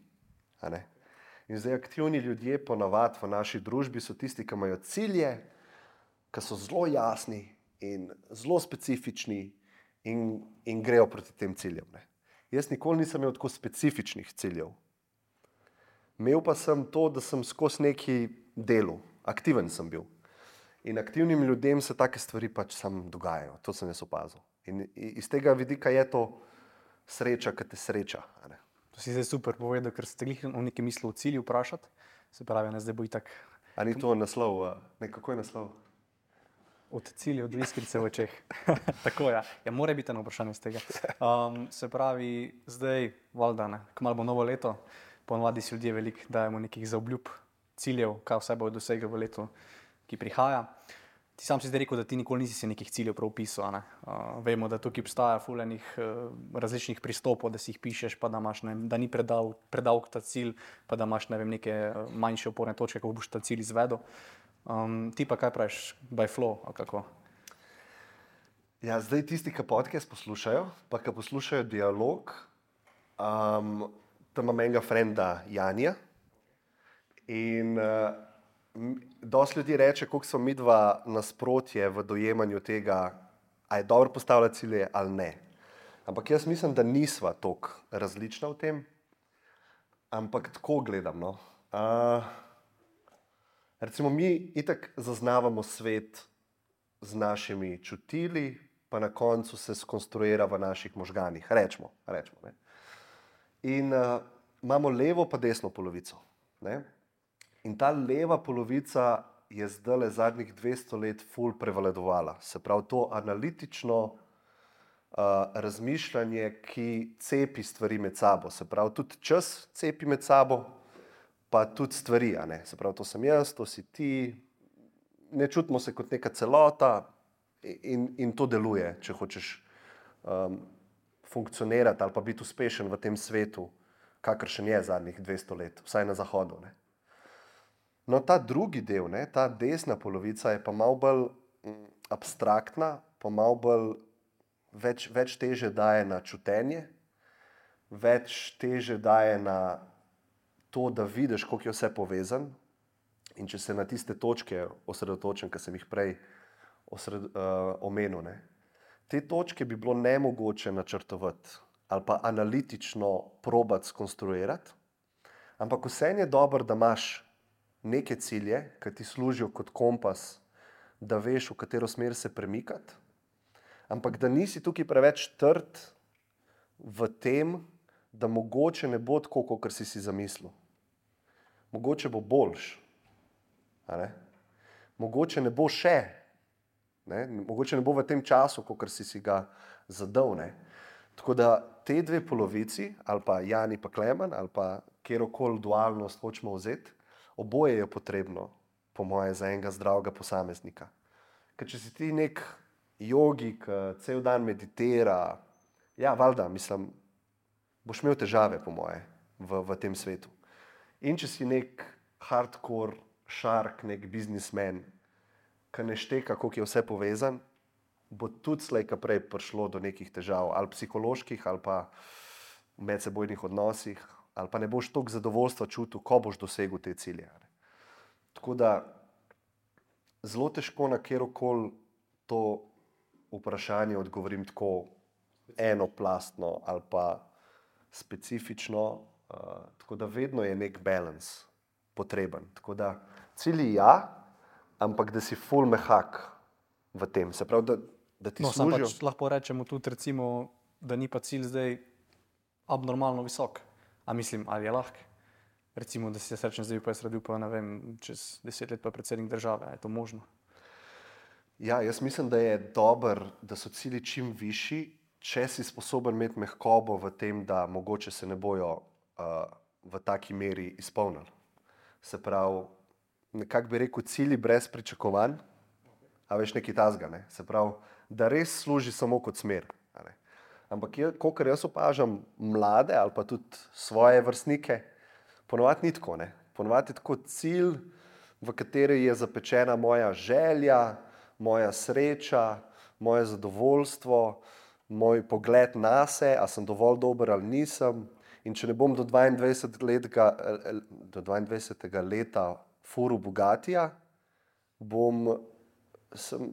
In zdaj aktivni ljudje ponavadi v naši družbi so tisti, ki imajo cilje, ki so zelo jasni in zelo specifični in grejo proti tem ciljem. Ne. Jaz nikoli nisem imel tako specifičnih ciljev. Imel pa sem to, da sem skozi neki delu, aktiven sem bil. In aktivnim ljudem se take stvari pač sam dogajajo, to sem jaz opazil. In iz tega vidika je to sreča, ki te sreča. To si zdaj super povedal, ker ste jih v neki misli o cilju vprašati. Se pravi, zdaj bo itak... A ni to naslov? Kako je naslov? Od cilja, od iskrice v očeh. Tako, ja. Ja, mora biti eno vprašanje z tega. Se pravi, zdaj, valjda, kmalu bo novo leto, ponavadi si ljudje veliko dajemo nekih zaobljub, ciljev, kaj vse bojo dosegli v letu, ki prihaja. Ti sam si zdaj rekel, da ti nikoli nisi si nekih ciljev prav opisal. Vemo, da tukaj obstaja ful enih različnih pristopov, da si jih pišeš, pa da imaš, da ni predolg ta cilj, pa da imaš, neke manjše oporne točke, kako boš ta cilj izvedel. Ti pa kaj praviš, by flow, ali kako? Ja, zdaj tisti, ki podcast poslušajo, pa ki poslušajo dialog, tam imam enega frenda Janija in dosti ljudi reče, koliko smo mi dva nasprotje v dojemanju tega, a je dobro postavljati cilje ali ne. Ampak jaz mislim, da nisva toliko različna v tem, ampak tako gledam. No. Recimo mi itak zaznavamo svet z našimi čutili, pa na koncu se skonstruira v naših možganih, rečemo. Ne. In imamo levo pa desno polovico. Ne. In ta leva polovica je zdajle zadnjih 200 let ful prevladovala. Se pravi, to analitično razmišljanje, ki cepi stvari med sabo. Se pravi, tudi čas cepi med sabo, pa tudi stvari. A ne? Se pravi, to sem jaz, to si ti. Ne čutimo se kot neka celota in to deluje, če hočeš funkcionirati ali pa biti uspešen v tem svetu, kakršen je zadnjih 200 let, vsaj na zahodu. Ne? No, ta drugi del, ne, ta desna polovica je pa malo bolj abstraktna, pa malo bolj več teže daje na čutenje, več teže daje na to, da vidiš, koliko je vse povezan. In če se na tiste točke osredotočim, ki sem jih prej omenil, ne, te točke bi bilo nemogoče načrtovati ali pa analitično probati skonstruirati, ampak vseeno je dobro, da imaš neke cilje, ki ti služijo kot kompas, da veš, v katero smer se premikati, ampak da nisi tukaj preveč trd v tem, da mogoče ne bo tako, kot si zamislil. Mogoče bo boljš. Mogoče ne bo še. Ne? Mogoče ne bo v tem času, kot si ga zadal. Ne? Tako da te dve polovici, ali pa Jani pa Klemen, ali pa kjerokoli dualnost hočemo vzeti, oboje je potrebno, po moje, za enega zdravega posameznika. Ker če si ti nek jogik, cel dan meditira, ja, valjda, mislim, boš imel težave, po moje, v tem svetu. In če si nek hardcore shark, nek biznismen, ki ne šteka, koliko je vse povezan, bo tudi slej ka prej prišlo do nekih težav, ali psiholoških, ali pa v medsebojnih odnosih, ali pa ne boš toliko zadovoljstva čutil, ko boš dosegel te cilje. Tako da zelo težko na kjerokoli to vprašanje odgovorim tako enoplastno ali pa specifično, tako da vedno je nek balans potreben. Tako da cilji ja, ampak da si ful mehak v tem. Se pravi, da ti služijo. Pač lahko rečemo tudi, recimo, da ni pa cilj zdaj abnormalno visok. A mislim, ali je lahko? Recimo, da si jaz rečem, zdaj pa jaz radil pa, ne vem, čez 10 let pa predsednik države. Je to možno? Ja, jaz mislim, da je dobro, da so cilji čim višji, če si sposoben imeti mehkobo v tem, da mogoče se ne bojo v taki meri izpolnili. Se pravi, nekako bi rekel, cilji brez pričakovanj, a veš, nekaj tazga, ne? Se pravi, da res služi samo kot smer. Ampak, kolikor jaz opažam mlade ali pa tudi svoje vrstnike, ponovadi ni tako. Ne? Ponovadi je tako cilj, v kateri je zapečena moja želja, moja sreča, moje zadovoljstvo, moj pogled nase, a sem dovolj dober ali nisem. In če ne bom do 22. leta furil Bugatija,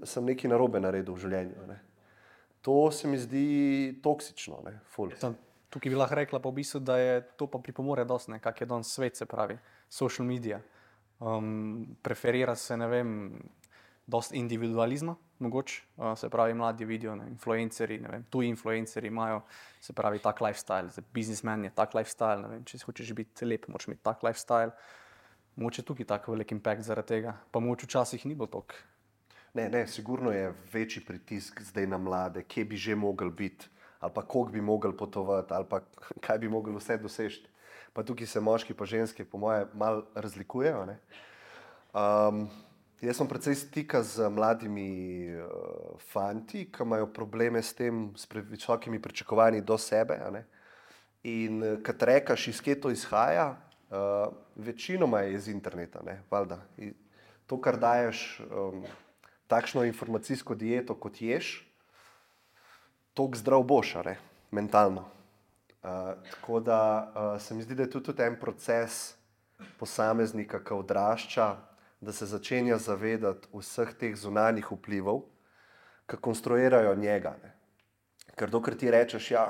sem nekaj narobe naredil v življenju. Ne? To se mi zdi toksično. Ne? Tukaj bi lahko rekla pa v bistvu, da je to pa pripomore dosti, kak je danes svet, se pravi, social media. Preferira se, ne vem, dosti individualizma, mogoče, se pravi, mladi vidijo, influencerji, ne vem, tuji influencerji imajo, se pravi, tak lifestyle, biznismen je tak lifestyle, ne vem, če hočeš biti lep, moraš imeti tak lifestyle. Mogoče tukaj tak velik impact zaradi tega, pa mogoče včasih ni bilo toliko. Ne, sigurno je večji pritisk zdaj na mlade, kje bi že mogli biti, ali pa koliko bi mogli potovati, ali pa kaj bi mogli vse doseči. Pa tukaj se moški pa ženske, po moje, malo razlikujejo. Ne? Jaz sem precej stika z mladimi fanti, ki imajo probleme s tem, s visokimi pričakovanji do sebe. Ne? In kad rekaš, iz kje to izhaja, večinoma je iz interneta. Ne? Valjda. To, kar daješ takšno informacijsko dieto, kot ješ, toliko zdrav boš, mentalno. Tako da se mi zdi, da je tudi en proces posameznika, ki odrašča, da se začenja zavedati vseh teh zunanjih vplivov, ki konstruirajo njega. Ne. Ker dokler ti rečeš, ja,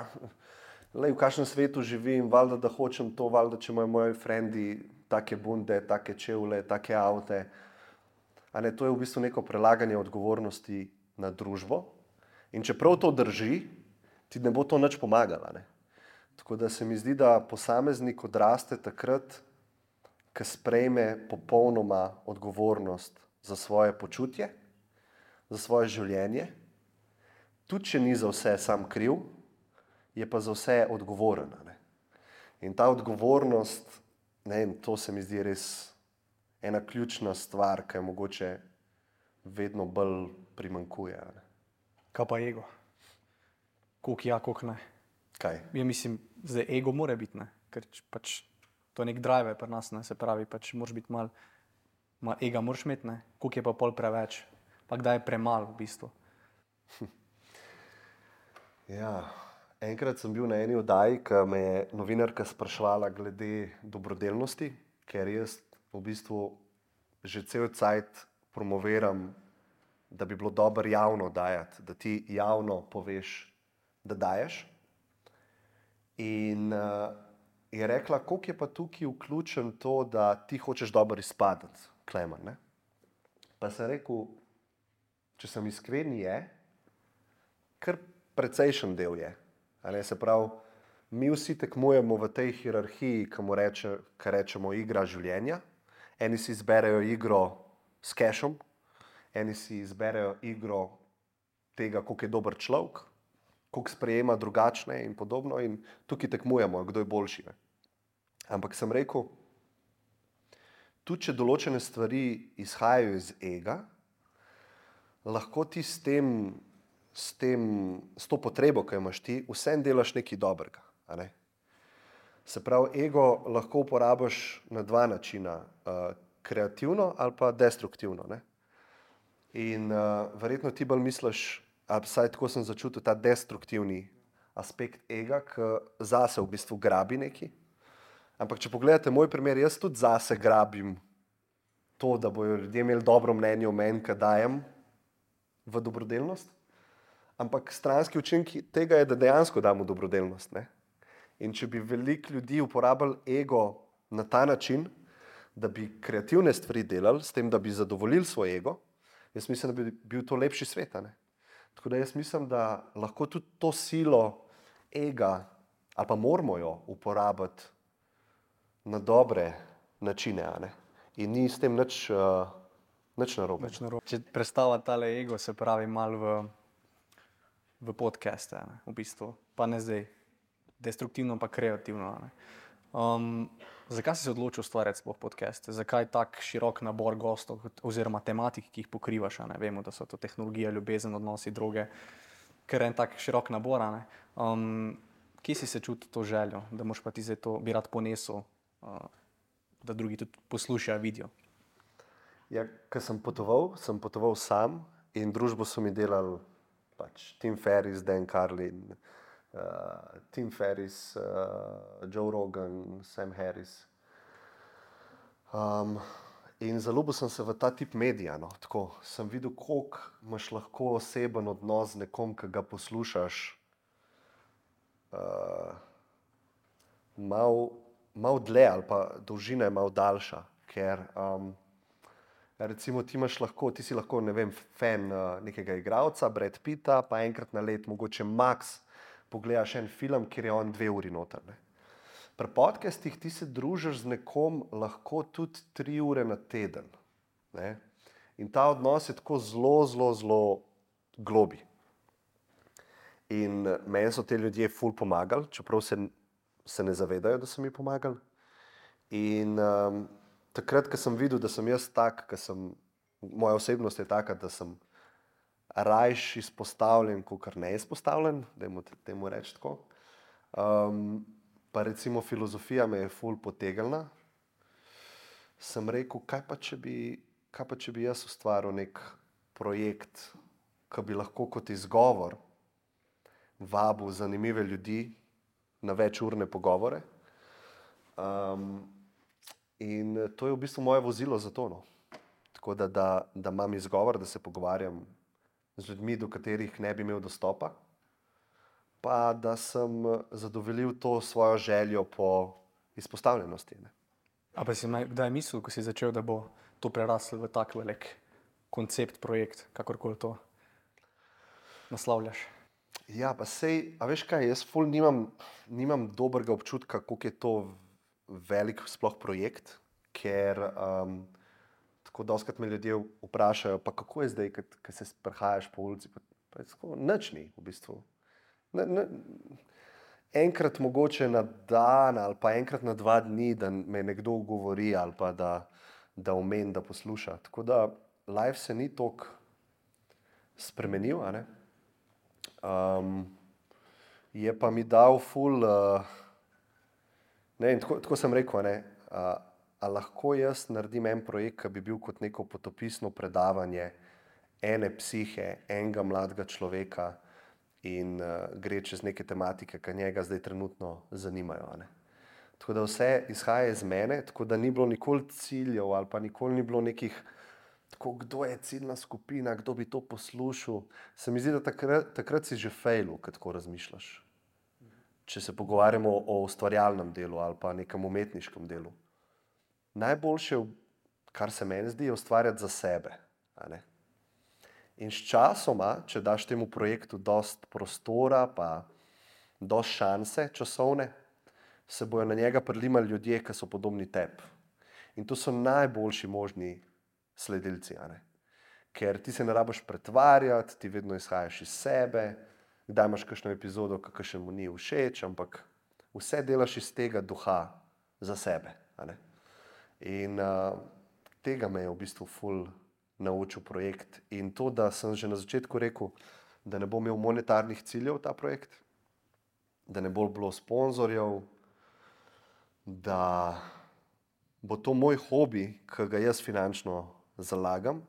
lej, v kakšnem svetu živim, valjda, da hočem to, valjda, če imajo moji frendi take bunde, take čevlje, take avte. A ne, to je v bistvu neko prelaganje odgovornosti na družbo. In čeprav to drži, ti ne bo to nič pomagalo. Ne. Tako da se mi zdi, da posameznik odraste takrat, ko sprejme popolnoma odgovornost za svoje počutje, za svoje življenje, tudi če ni za vse sam kriv, je pa za vse odgovoren. Ne. In ta odgovornost, ne vem, to se mi zdi res ena ključna stvar, ki je mogoče vedno bolj primanjkuje. Ne. Kaj pa ego? Koliko ja, koliko ne? Kaj? Ja, mislim, zdaj ego mora biti, ne? Ker pač to je nek drive pri nas, ne? Se pravi, pač moraš biti mal ega moraš imeti, ne? Koliko je pa pol preveč, pa kdaj je premalo v bistvu. Ja, enkrat sem bil na eni oddaji, ko me je novinarka spraševala glede dobrodelnosti, ker jaz v bistvu že cel cajt promoviram, da bi bilo dobro javno dajati, da ti javno poveš, da daješ. In je rekla, koliko je pa tukaj vključen to, da ti hočeš dobro izpadati, Klemen. Ne? Pa sem rekel, če sem iskren, je, kar precejšen del je. Ne, se pravi, mi vsi tekmujemo v tej hierarhiji, ki rečemo igra življenja. Eni si izberejo igro s kešom, eni si izberejo igro tega, koliko je dober človek, koliko sprejema drugačne in podobno, in tukaj tekmujemo, kdo je boljši. Ne. Ampak sem rekel, tudi če določene stvari izhajajo iz ega, lahko ti s to potrebo, ki jo imaš ti, vsem delaš nekaj dobrega. A ne? Se pravi, ego lahko uporabiš na dva načina, kreativno ali pa destruktivno. Ne? In verjetno ti bolj misliš, ali vsaj tako sem začutil, ta destruktivni aspekt ega, ki zase v bistvu grabi nekaj. Ampak če pogledate moj primer, jaz tudi zase grabim to, da bojo ljudje imeli dobro mnenje o meni, ki dajem v dobrodelnost. Ampak stranski učinek tega je, da dejansko dam v dobrodelnost. Ne? In če bi veliko ljudi uporabljali ego na ta način, da bi kreativne stvari delali, s tem, da bi zadovoljili svoj ego, jaz mislim, da bi bil to lepši svet. Ne? Tako da jaz mislim, da lahko tudi to silo ega, ali pa moramo jo uporabiti na dobre načine, ne? In ni s tem nič narobe. Če predstavlja tale ego, se pravi malo v podcaste, ne? V bistvu, pa ne zdaj destruktivno, pa kreativno. Ne? Zakaj si se odločil ustvarjati sploh podcaste? Zakaj tak širok nabor gostov oziroma tematik, ki jih pokrivaš? Ne? Vemo, da so to tehnologija, ljubezen, odnosi, droge, ker je en tak širok nabor. Kje si se čutil to željo, da moš pa ti zdaj to bi rad ponesel, da drugi tudi poslušajo, vidijo? Ja, ko sem potoval sam in družbo so mi delali pač Tim Ferriss, Dan Carlin, Tim Ferriss, Joe Rogan, Sam Harris. In zaljubil sem se v ta tip medija. No. Tako, sem videl, koliko imaš lahko oseben odnos z nekom, ki ga poslušaš. Malo dlje ali pa dolžina je malo daljša, ker recimo ti si lahko, ne vem, fan nekega igralca, Brad Pitta, pa enkrat na let mogoče max pogledaš en film, kjer je on 2 uri noter. Ne. Pri podcastih ti se družiš z nekom lahko tudi 3 ure na teden. Ne. In ta odnos je tako zelo globi. In meni so te ljudje ful pomagali, čeprav se ne zavedajo, da so mi pomagali. In takrat, ko sem videl, da sem jaz tak, moja osebnost je taka, da sem rajš izpostavljen, kakor ne izpostavljen, dajmo temu reči tako. Pa recimo filozofija me je ful potegnila. Sem rekel, kaj pa če bi jaz ustvaril nek projekt, ki bi lahko kot izgovor vabil zanimive ljudi na večurne pogovore. In to je v bistvu moje vozilo za to. No. tako da imam izgovor, da se pogovarjam z ljudmi, do katerih ne bi imel dostopa, pa da sem zadovoljil to svojo željo po izpostavljenosti. Ne. A pa si kdaj mislil, ko si začel, da bo to preraslo v tak velik koncept, projekt, kakorkoli to naslavljaš? Ja, pa sej, a veš kaj, jaz ful nimam dobrega občutka, koliko je to velik sploh projekt, ker tako dostikrat me ljudje vprašajo, pa kako je zdaj, ko se sprehajaš po ulici, pa je tako, nič ni v bistvu. Enkrat mogoče na dan ali pa enkrat na 2 dni, da me nekdo govori ali pa da omeni, da posluša. Tako da life se ni toliko spremenil, a ne? Je pa mi dal ful, ne vem, tako sem rekel, ne, a lahko jaz naredim en projekt, ki bi bil kot neko potopisno predavanje ene psihe, enega mladega človeka in gre čez neke tematike, ki njega zdaj trenutno zanimajo. A ne. Tako da vse izhaja iz mene, tako da ni bilo nikoli ciljev ali pa nikoli ni bilo nekih, tako kdo je ciljna skupina, kdo bi to poslušal. Se mi zdi, da takrat si že fejlu, ko tako razmišljaš. Če se pogovarjamo o ustvarjalnem delu ali pa nekem umetniškem delu. Najboljše, kar se meni zdi, je ustvarjati za sebe. A ne? In s časoma, če daš temu projektu dost prostora, pa dost šanse časovne, se bojo na njega prilimali ljudje, ki so podobni tebi. In to so najboljši možni sledilci. A ne? Ker ti se ne rabiš pretvarjati, ti vedno izhajaš iz sebe, kdaj imaš kakšno epizodo, ki mu ni všeč, ampak vse delaš iz tega duha za sebe. A ne? In tega me je v bistvu ful naučil projekt. In to, da sem že na začetku rekel, da ne bo imel monetarnih ciljev ta projekt, da ne bo bilo sponzorjev, da bo to moj hobi, ki ga jaz finančno zalagam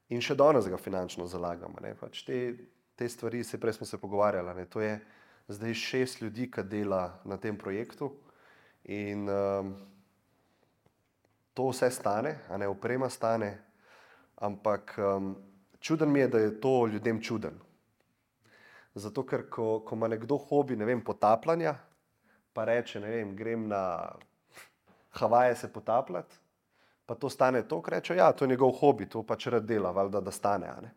in še danes ga finančno zalagam. Ne? Pač te stvari, prej smo se pogovarjali, ne? To je zdaj 6 ljudi, ki dela na tem projektu in to vse stane, a ne, oprema stane, ampak čuden mi je, da je to ljudem čuden. Zato, ker ko ima nekdo hobi, ne vem, potapljanja, pa reče, ne vem, grem na Havaje se potapljati, pa to stane toliko, reče, ja, to je njegov hobi, to pač rad dela, valjda, da stane, a ne.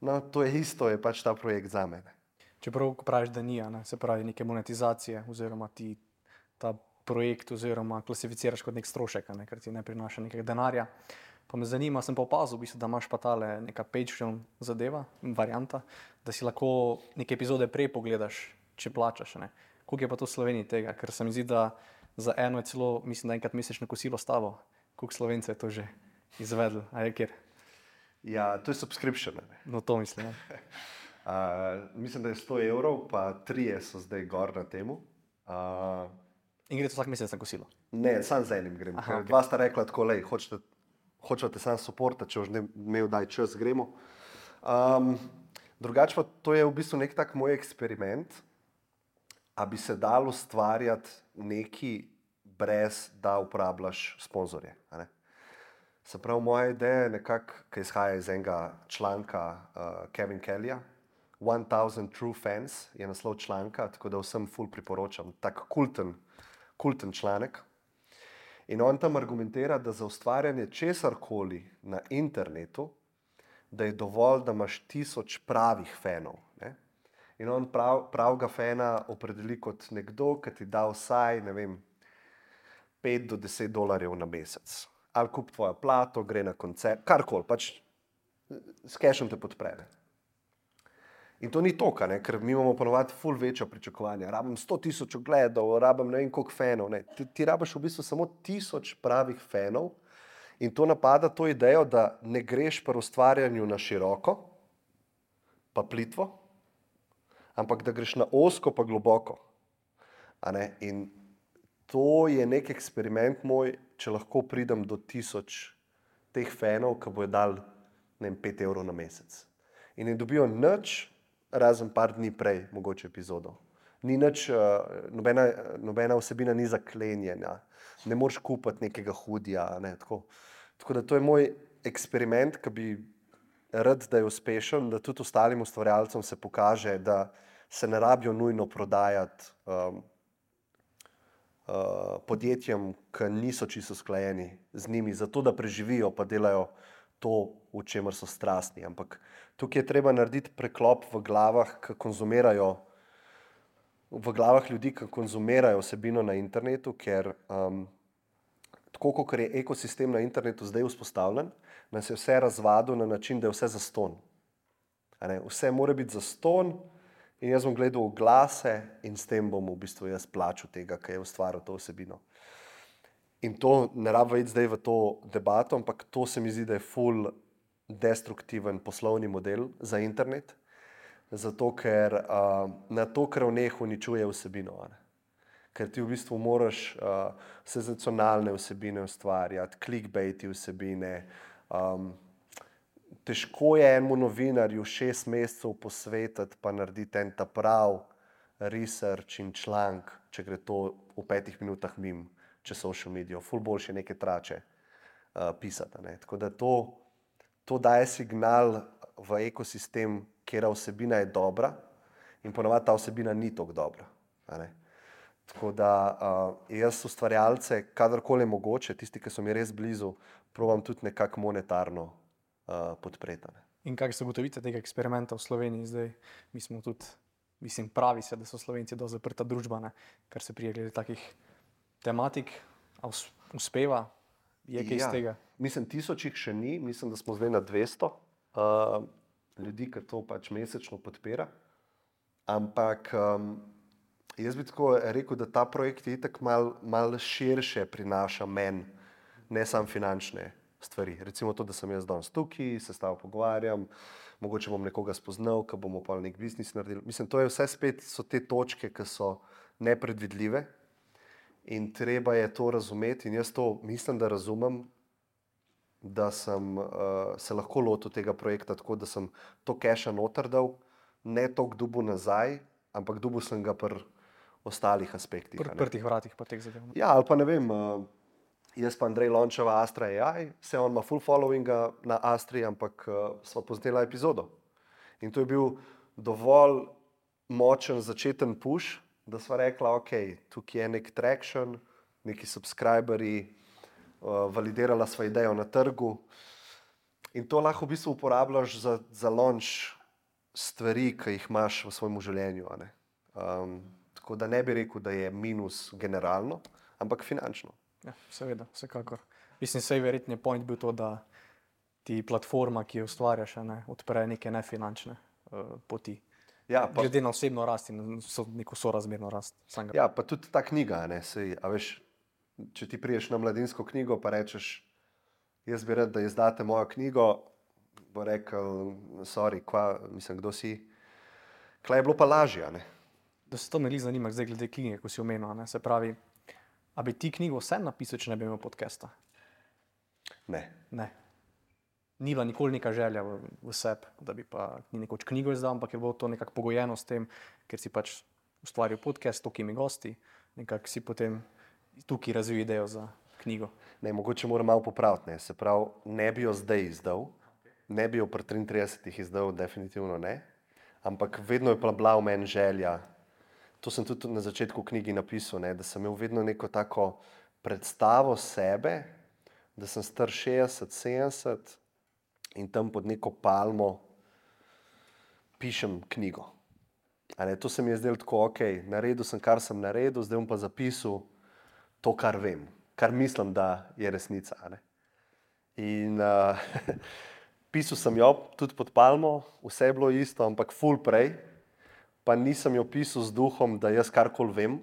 No, to je isto, je pač ta projekt za mene. Čeprav, ko praviš, da ni, ne, se pravi neke monetizacije, oziroma ti ta projekt oziroma klasificiraš kot nek strošek, ne, ker ti ne prinaša nekega denarja. Pa me zanima, sem pa opazil, v bistvu, da imaš pa tale neka Patreon zadeva, varianta, da si lahko neke epizode prej pogledaš, če plačaš. Ne. Koliko je pa to v Sloveniji tega? Ker se mi zdi, da za eno je celo, mislim, da enkrat mesečno kosilo s tabo. Koliko Slovencev je to že izvedlo? A je kjer? Ja, to je subscription. Ne? No, to mislim. Mislim, da je 100 evrov, pa 3 so zdaj gor na temu. In gre to vsak mesec na kosilo? Ne, sam z enim grem. Aha, okay. Dva sta rekla tako, lej, hočete sam supporta, če už ne imel daj čas, gremo. Drugače pa to je v bistvu nek tak moj eksperiment, a bi se dal ustvarjati neki brez, da uporabljaš sponzorje. A ne? Se pravi, moja ideja je nekako, ki izhaja iz enega članka Kevin Kellyja, 1000 True Fans je naslov članka, tako da vsem ful priporočam, tak kulten članek. In on tam argumentira, da za ustvarjanje česarkoli na internetu, da je dovolj, da imaš 1000 pravih fanov. Ne? In on pravega fana opredeli kot nekdo, ki ti da vsaj, ne vem, $5 do $10 na mesec. Ali kup tvojo plato, gre na koncert, karkoli, pač s cashom te podpre. In to ni toliko, ker mi imamo ponovadi ful večja pričakovanja. Rabim 100,000 ogledov, rabim ne vem koliko fanov. Ne. Ti rabiš v bistvu samo 1000 pravih fanov in to napada to idejo, da ne greš pri ustvarjanju na široko, pa plitvo, ampak da greš na ozko pa globoko. A ne? In to je nek eksperiment moj, če lahko pridem do 1000 teh fanov, ki bojo dali, ne vem, 5 evrov na mesec. In ne dobijo nič, razen par dni prej, mogoče epizodo. Ni nič, nobena vsebina ni zaklenjena, ne moreš kupiti nekega hudija. Ne, tako da to je moj eksperiment, ki bi rad, da je uspešen, da tudi ostalim ustvarjalcem se pokaže, da se ne rabijo nujno prodajati podjetjem, ki niso čisto usklajeni z njimi, zato da preživijo pa delajo to, v čemer so strastni. Ampak tukaj je treba narediti preklop v glavah, v glavah ljudi, ki konzumirajo vsebino na internetu, ker tako kot je ekosistem na internetu zdaj vzpostavljen, nas je vse razvadil na način, da je vse zastonj. Vse mora biti zastonj in jaz bom gledal oglase in s tem bom v bistvu jaz plačal tega, ki je ustvaril to vsebino. In to ne rabimo iti zdaj v to debato, ampak to se mi zdi, da je ful destruktiven poslovni model za internet, zato ker na to krvneh uničuje vsebino. Ker ti v bistvu moraš senzacionalne vsebine ustvarjati, clickbaiti vsebine. Težko je enemu novinarju 6 mesecev posvetiti pa narediti en ta prav research in članek, če gre to v 5 minutah mimo čez social medijo. Ful boljše neke trače pisati. Tako da to daje signal v ekosistem, kjer vsebina je dobra in ponavadi ta vsebina ni tako dobra. Tako da jaz ustvarjalce, kadarkoli je mogoče, tisti, ki so mi res blizu, probam tudi nekako monetarno podpreti. In kaj se ugotovite tega eksperimenta v Sloveniji zdaj? Mi smo tudi, pravi se, da so Slovenci dosti zaprta družba, kar se prije glede takih tematik, a uspeva, je kaj iz tega? Mislim, 1000 jih še ni, mislim, da smo zdaj na 200 ljudi, ki to pač mesečno podpira. Ampak jaz bi tako rekel, da ta projekt je itak mal širše prinaša meni, ne samo finančne stvari. Recimo to, da sem jaz danes tukaj, se s tabo pogovarjam, mogoče bom nekoga spoznal, ki bomo pa nek biznis naredili. Mislim, to je vse spet so te točke, ki so nepredvidljive in treba je to razumeti in jaz to mislim, da razumem, da sem se lahko lotil tega projekta tako, da sem to keša noter dal, ne toliko dobil nazaj, ampak dobil sem ga pri ostalih aspektih. Pri odprtih vratih pa teh zadev. Ja, ali pa ne vem, jaz pa Andrej Lončeva, Astra AI, se on ima full followinga na Astri, ampak sva posnela epizodo. In to je bil dovolj močen začeten push, da sva rekla, ok, tukaj je nek traction, neki subscriberji, validirala sva idejo na trgu in to lahko v bistvu uporabljaš za launch stvari, ki jih imaš v svojem življenju. Tako da ne bi rekel, da je minus generalno, ampak finančno. Ja, seveda, vsekakor. Sej verjetno je point bil to, da ti platforma, ki jo ustvarjaš, odpre neke nefinančne poti. Ja, glede na osebno rast in neko sorazmerno rast. Ja, pa tudi ta knjiga, sej, a veš, če ti priješ na Mladinsko knjigo pa rečeš, jaz bi rad, da izdate mojo knjigo, bo rekel, sorry, kdo si? Kaj je bilo pa lažje, Da se to me zanima zdaj glede knjige, ko si omenil, se pravi, a bi ti knjigo vse napisal, če ne bi imel podcasta? Ne. Ni bila nikoli neka želja v sebi, da bi pa nekoč knjigo izdal, ampak je bilo to nekako pogojeno s tem, ker si pač ustvaril podcast, tokimi gosti, nekako si potem tukaj razvil idejo za knjigo. Ne, mogoče moram malo popraviti, se pravi, ne bi jo zdaj izdal, ne bi jo pri 33 izdal, definitivno ne, ampak vedno je bila v meni želja, to sem tudi na začetku knjigi napisal, da sem imel vedno neko tako predstavo sebe, da sem star 60-70 in tam pod neko palmo pišem knjigo. To se mi je zdelo tako, ok, naredil sem, kar sem naredil, zdaj bom pa zapisal to, kar vem, kar mislim, da je resnica. In pisal sem jo tudi pod palmo, vse je bilo isto, ampak ful prej, pa nisem jo pisal z duhom, da jaz karkoli vem,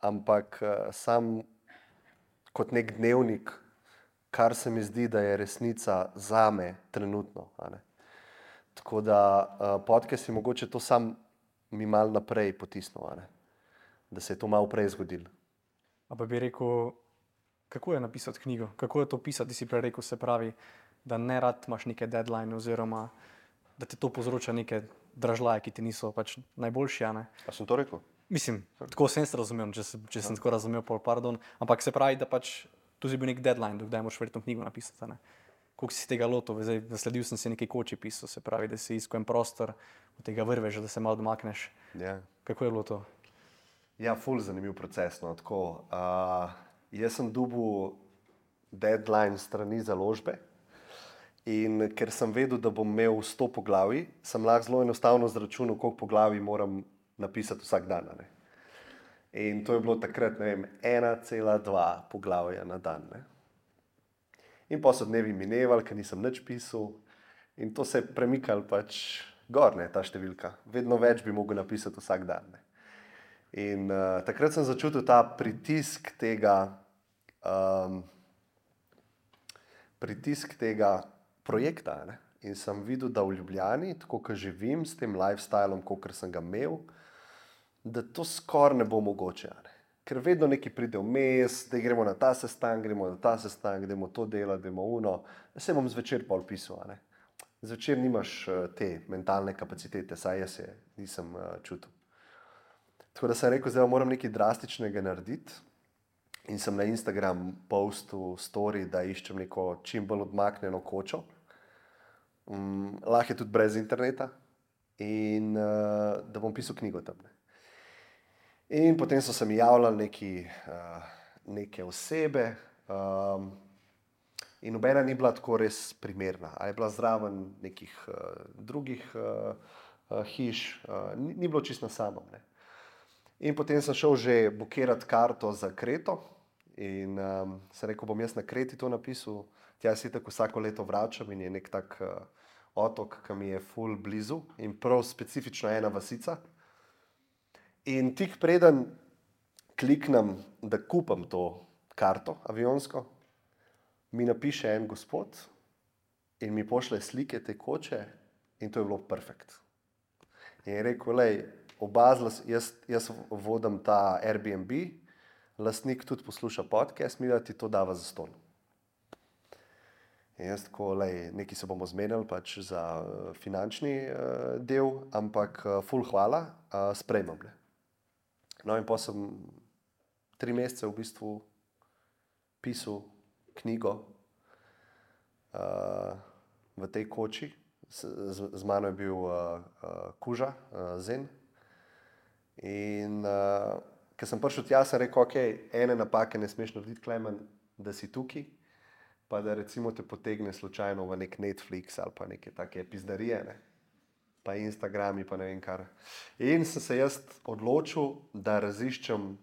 ampak sam kot nek dnevnik, kar se mi zdi, da je resnica zame trenutno. Tako da podcast je mogoče to sam mi malo naprej potisnil, da se je to malo prej zgodilo. A pa bi rekel, kako je napisati knjigo? Kako je to pisati? Ti si prej rekel, se pravi, da ne rad imaš neke deadline oziroma da te to povzroča neke dražljaje, ki ti niso pač najboljši. A sem to rekel? Tako sem se razumel, če sem tako razumel, pardon. Ampak se pravi, da pač tu si bil nek deadline, dokdaj moraš verjetno knjigo napisati. koliko si tega lotil, zdaj nasledil sem si nekaj koči pisal, se pravi, da si iskal en prostor, od tega vrvež, da se malo domakneš. Ja. Kako je bilo to? Ja, ful zanimiv proces. No, tako, jaz sem dobil deadline strani založbe in ker sem vedel, da bom imel 100 poglavij, sem lahko zelo enostavno zračunal, koliko poglavij moram napisati vsak dan. Ne? In to je bilo takrat, ne vem, 1,2 poglavja na dan. Ne? In pa so dnevi minevali, ker nisem nič pisal in to se je premikalo pač gor, ne, ta številka. Vedno več bi mogel napisati vsak dan. Ne? In takrat sem začutil ta pritisk tega projekta. Ne? In sem videl, da v Ljubljani, tako kot živim s tem lifestylom, kot sem ga imel, da to skoraj ne bo mogoče. Ne? Ker vedno nekaj pride vmes, da gremo na ta sestanek, gremo to delati, gremo uno. Se bom zvečer pol pisal. Ne? Zvečer nimaš te mentalne kapacitete, saj jaz je nisem čutil. Tako da sem rekel, zdaj moram nekaj drastičnega narediti in sem na Instagram postil story, da iščem neko čim bolj odmaknjeno kočo. Lahko je tudi brez interneta in da bom pisal knjigo tam. Ne. In potem so se mi javljali neke osebe in nobena ni bila tako res primerna. A je bila zraven nekih drugih hiš, ni bilo čisto na samem. Ne. In potem sem šel že bukirati karto za Kreto in sem rekel, bom jaz na Kreti to napisal. Tja se tako vsako leto vračam in je nek tak otok, ki mi je ful blizu in prav specifično ena vasica. In tik preden kliknem, da kupam to karto avionsko, mi napiše en gospod in mi pošlje slike te koče in to je bilo perfekt. In je rekel, lej, jaz vodim ta Airbnb, lastnik tudi posluša podcast, mi da ti to dava za ston. In jaz tako, lej, nekaj se bomo zmenili pač za finančni del, ampak ful hvala, sprejmem. Ne. No in pa sem 3 mesece v bistvu pisal knjigo v tej koči. Z mano je bil Kuža, Zen. In ker sem prišel tja, sem rekel, ok, ene napake ne smeš narediti, Klemen, da si tukaj, pa da recimo te potegne slučajno v nek Netflix ali pa neke take pizdarije, ne? Pa Instagrami, pa ne vem kar. In sem se jaz odločil, da raziščem,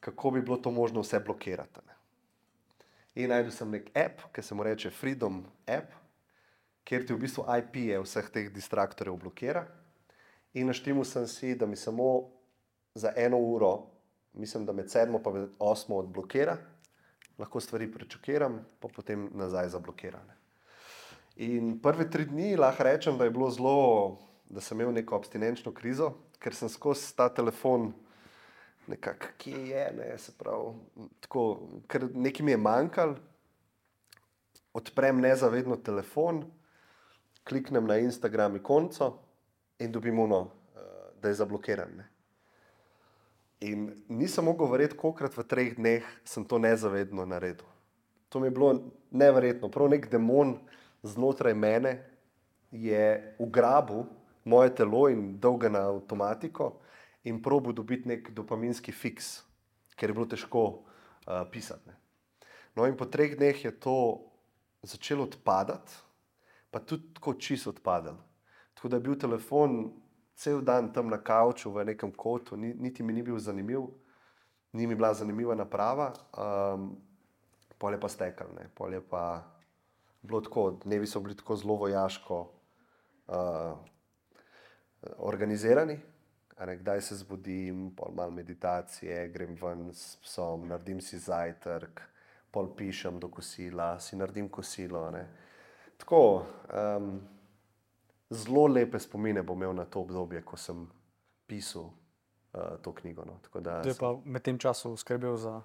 kako bi bilo to možno vse blokirati. Ne? In najdel sem nek app, ki se mu reče Freedom app, kjer ti v bistvu IP-je vseh teh distraktorjev blokira. In naštimil sem si, da mi samo za 1 uro, mislim, da med 7 pa med 8 odblokira, lahko stvari prečukiram, pa potem nazaj zablokira. Ne? In prve 3 dni lahko rečem, da je bilo zelo, da sem imel neko abstinenčno krizo, ker sem skozi ta telefon nekako, kje je, ne, se pravi, tako, ker nekaj mi je manjkalo, odprem nezavedno telefon, kliknem na Instagram ikonco in dobim ono, da je zablokiran. Ne. In nisem mogel verjeti, kolikrat v 3 dneh sem to nezavedno naredil. To mi je bilo neverjetno, prav nek demon znotraj mene je ugrabil moje telo in dal ga na avtomatiko in probil dobiti nek dopaminski fiks, ker je bilo težko pisati. Ne. No in po 3 dneh je to začelo odpadati, pa tudi tako čisto odpadalo. Tako da je bil telefon cel dan tam na kavču v nekem kotu, niti mi ni bil zanimiv, ni mi bila zanimiva naprava, pol je pa stekal, ne. Pol je pa bilo tako, dnevi so bili tako zelo vojaško organizirani, kdaj se zbudim, pol malo meditacije, grem ven s psom, naredim si zajtrk, pol pišem do kosila, si naredim kosilo. Ne. Tako, zelo lepe spomine bom imel na to obdobje, ko sem pisal to knjigo. No. Tako da To je pa med tem času skrbel za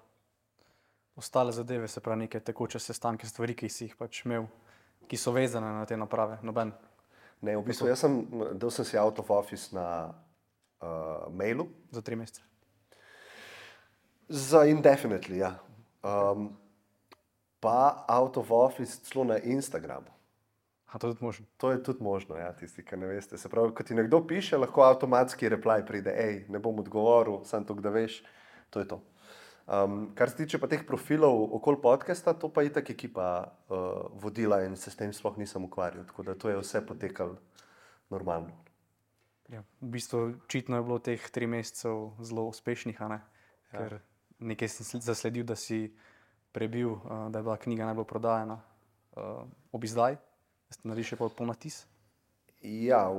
ostale zadeve, se pravi neke tekoče sestanke, stvari, ki si jih pač imel, ki so vezane na te naprave, noben. Ne, v bistvu jaz dal sem si out of office na mailu. Za 3 mesece. Za indefinitely, ja. pa out of office celo na Instagramu. A to je tudi možno. To je tudi možno, ja, tisti, ki ne veste. Se pravi, ko ti nekdo piše, lahko avtomatski reply pride, hej, ne bom odgovoril, samo to, da veš, to je to. Kar se tiče pa teh profilov okoli podcasta, to pa je itak ekipa vodila in se s tem sploh nisem ukvarjal, tako da to je vse potekalo normalno. Ja, v bistvu očitno je bilo teh 3 mesecev zelo uspešnih, a ne? Ker nekaj sem zasledil, da si prebil, da je bila knjiga najbolj prodajana ob izdaji. Ste naredili še ponatis? Ja,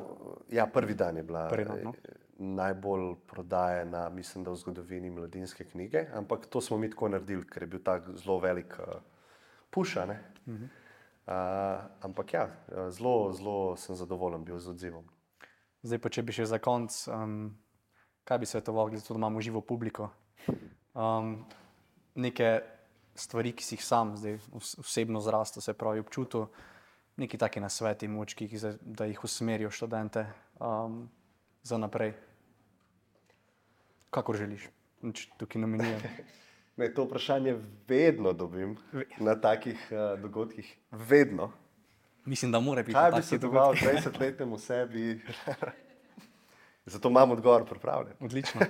prvi dan je bila No. najbolj prodajena, mislim, da v zgodovini Mladinske knjige, ampak to smo mi tako naredili, ker je bil tak zelo velik push, ne? Ampak ja, zelo sem zadovoljen bil z odzivom. Zdaj pa, če bi še za konec, kaj bi svetoval, glede to, da imamo živo publiko? Neke stvari, ki si jih sam zdaj osebno zrastel, se pravi občutil, neki taki nasveti močki, da jih usmerijo študente za naprej. Kakor želiš, tukaj nominiram. Ne, to vprašanje vedno dobim na takih dogodkih. Vedno. Mislim, da mora biti Kaj bi taki svetoval 20-letnemu sebi? Zato imam odgovor pripravljen. Odlično,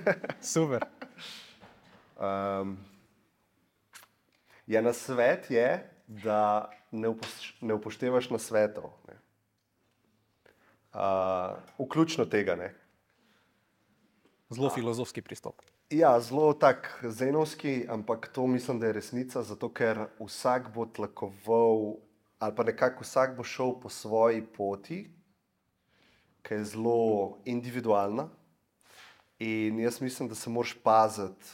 super. Ja, nasvet je, da ne upoštevaš nasvetov. Vključno tega, ne. Zelo filozofski pristop. Ja, zelo tak zenovski, ampak to mislim, da je resnica, zato ker vsak bo tlakoval, ali pa nekako vsak bo šel po svoji poti, ki je zelo individualna. In jaz mislim, da se moraš paziti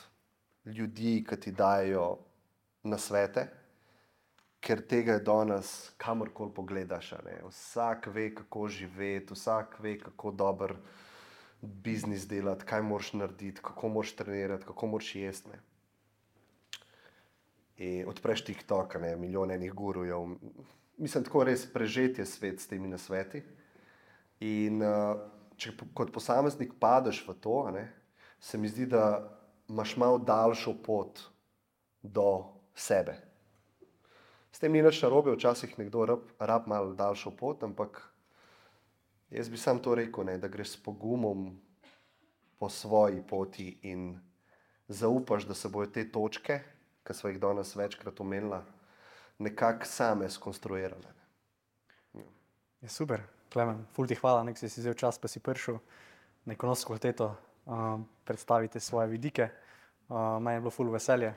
ljudi, ki ti dajo nasvete, ker tega je danes kamorkoli pogledaš. Vsak ve, kako živeti, vsak ve, kako dober biznis delati, kaj moraš narediti, kako moraš trenirati, kako moraš jesti. In odpreš TikTok, milijon enih gurujev. Mislim, tako res prežet je svet s temi nasveti. In če kot posameznik padeš v to, se mi zdi, da imaš malo daljšo pot do sebe. S tem ni nič narobe, včasih nekdo rab malo daljšo pot, ampak jaz bi sam to rekel, da greš s pogumom po svoji poti in zaupaš, da se bojo te točke, ki smo jih danes večkrat omenila, nekako same skonstruirale. Je super, Klemen, ful ti hvala, nek si vzel čas, pa si prišel na Ekonomsko fakulteto predstaviti svoje vidike. Meni je bilo ful veselje.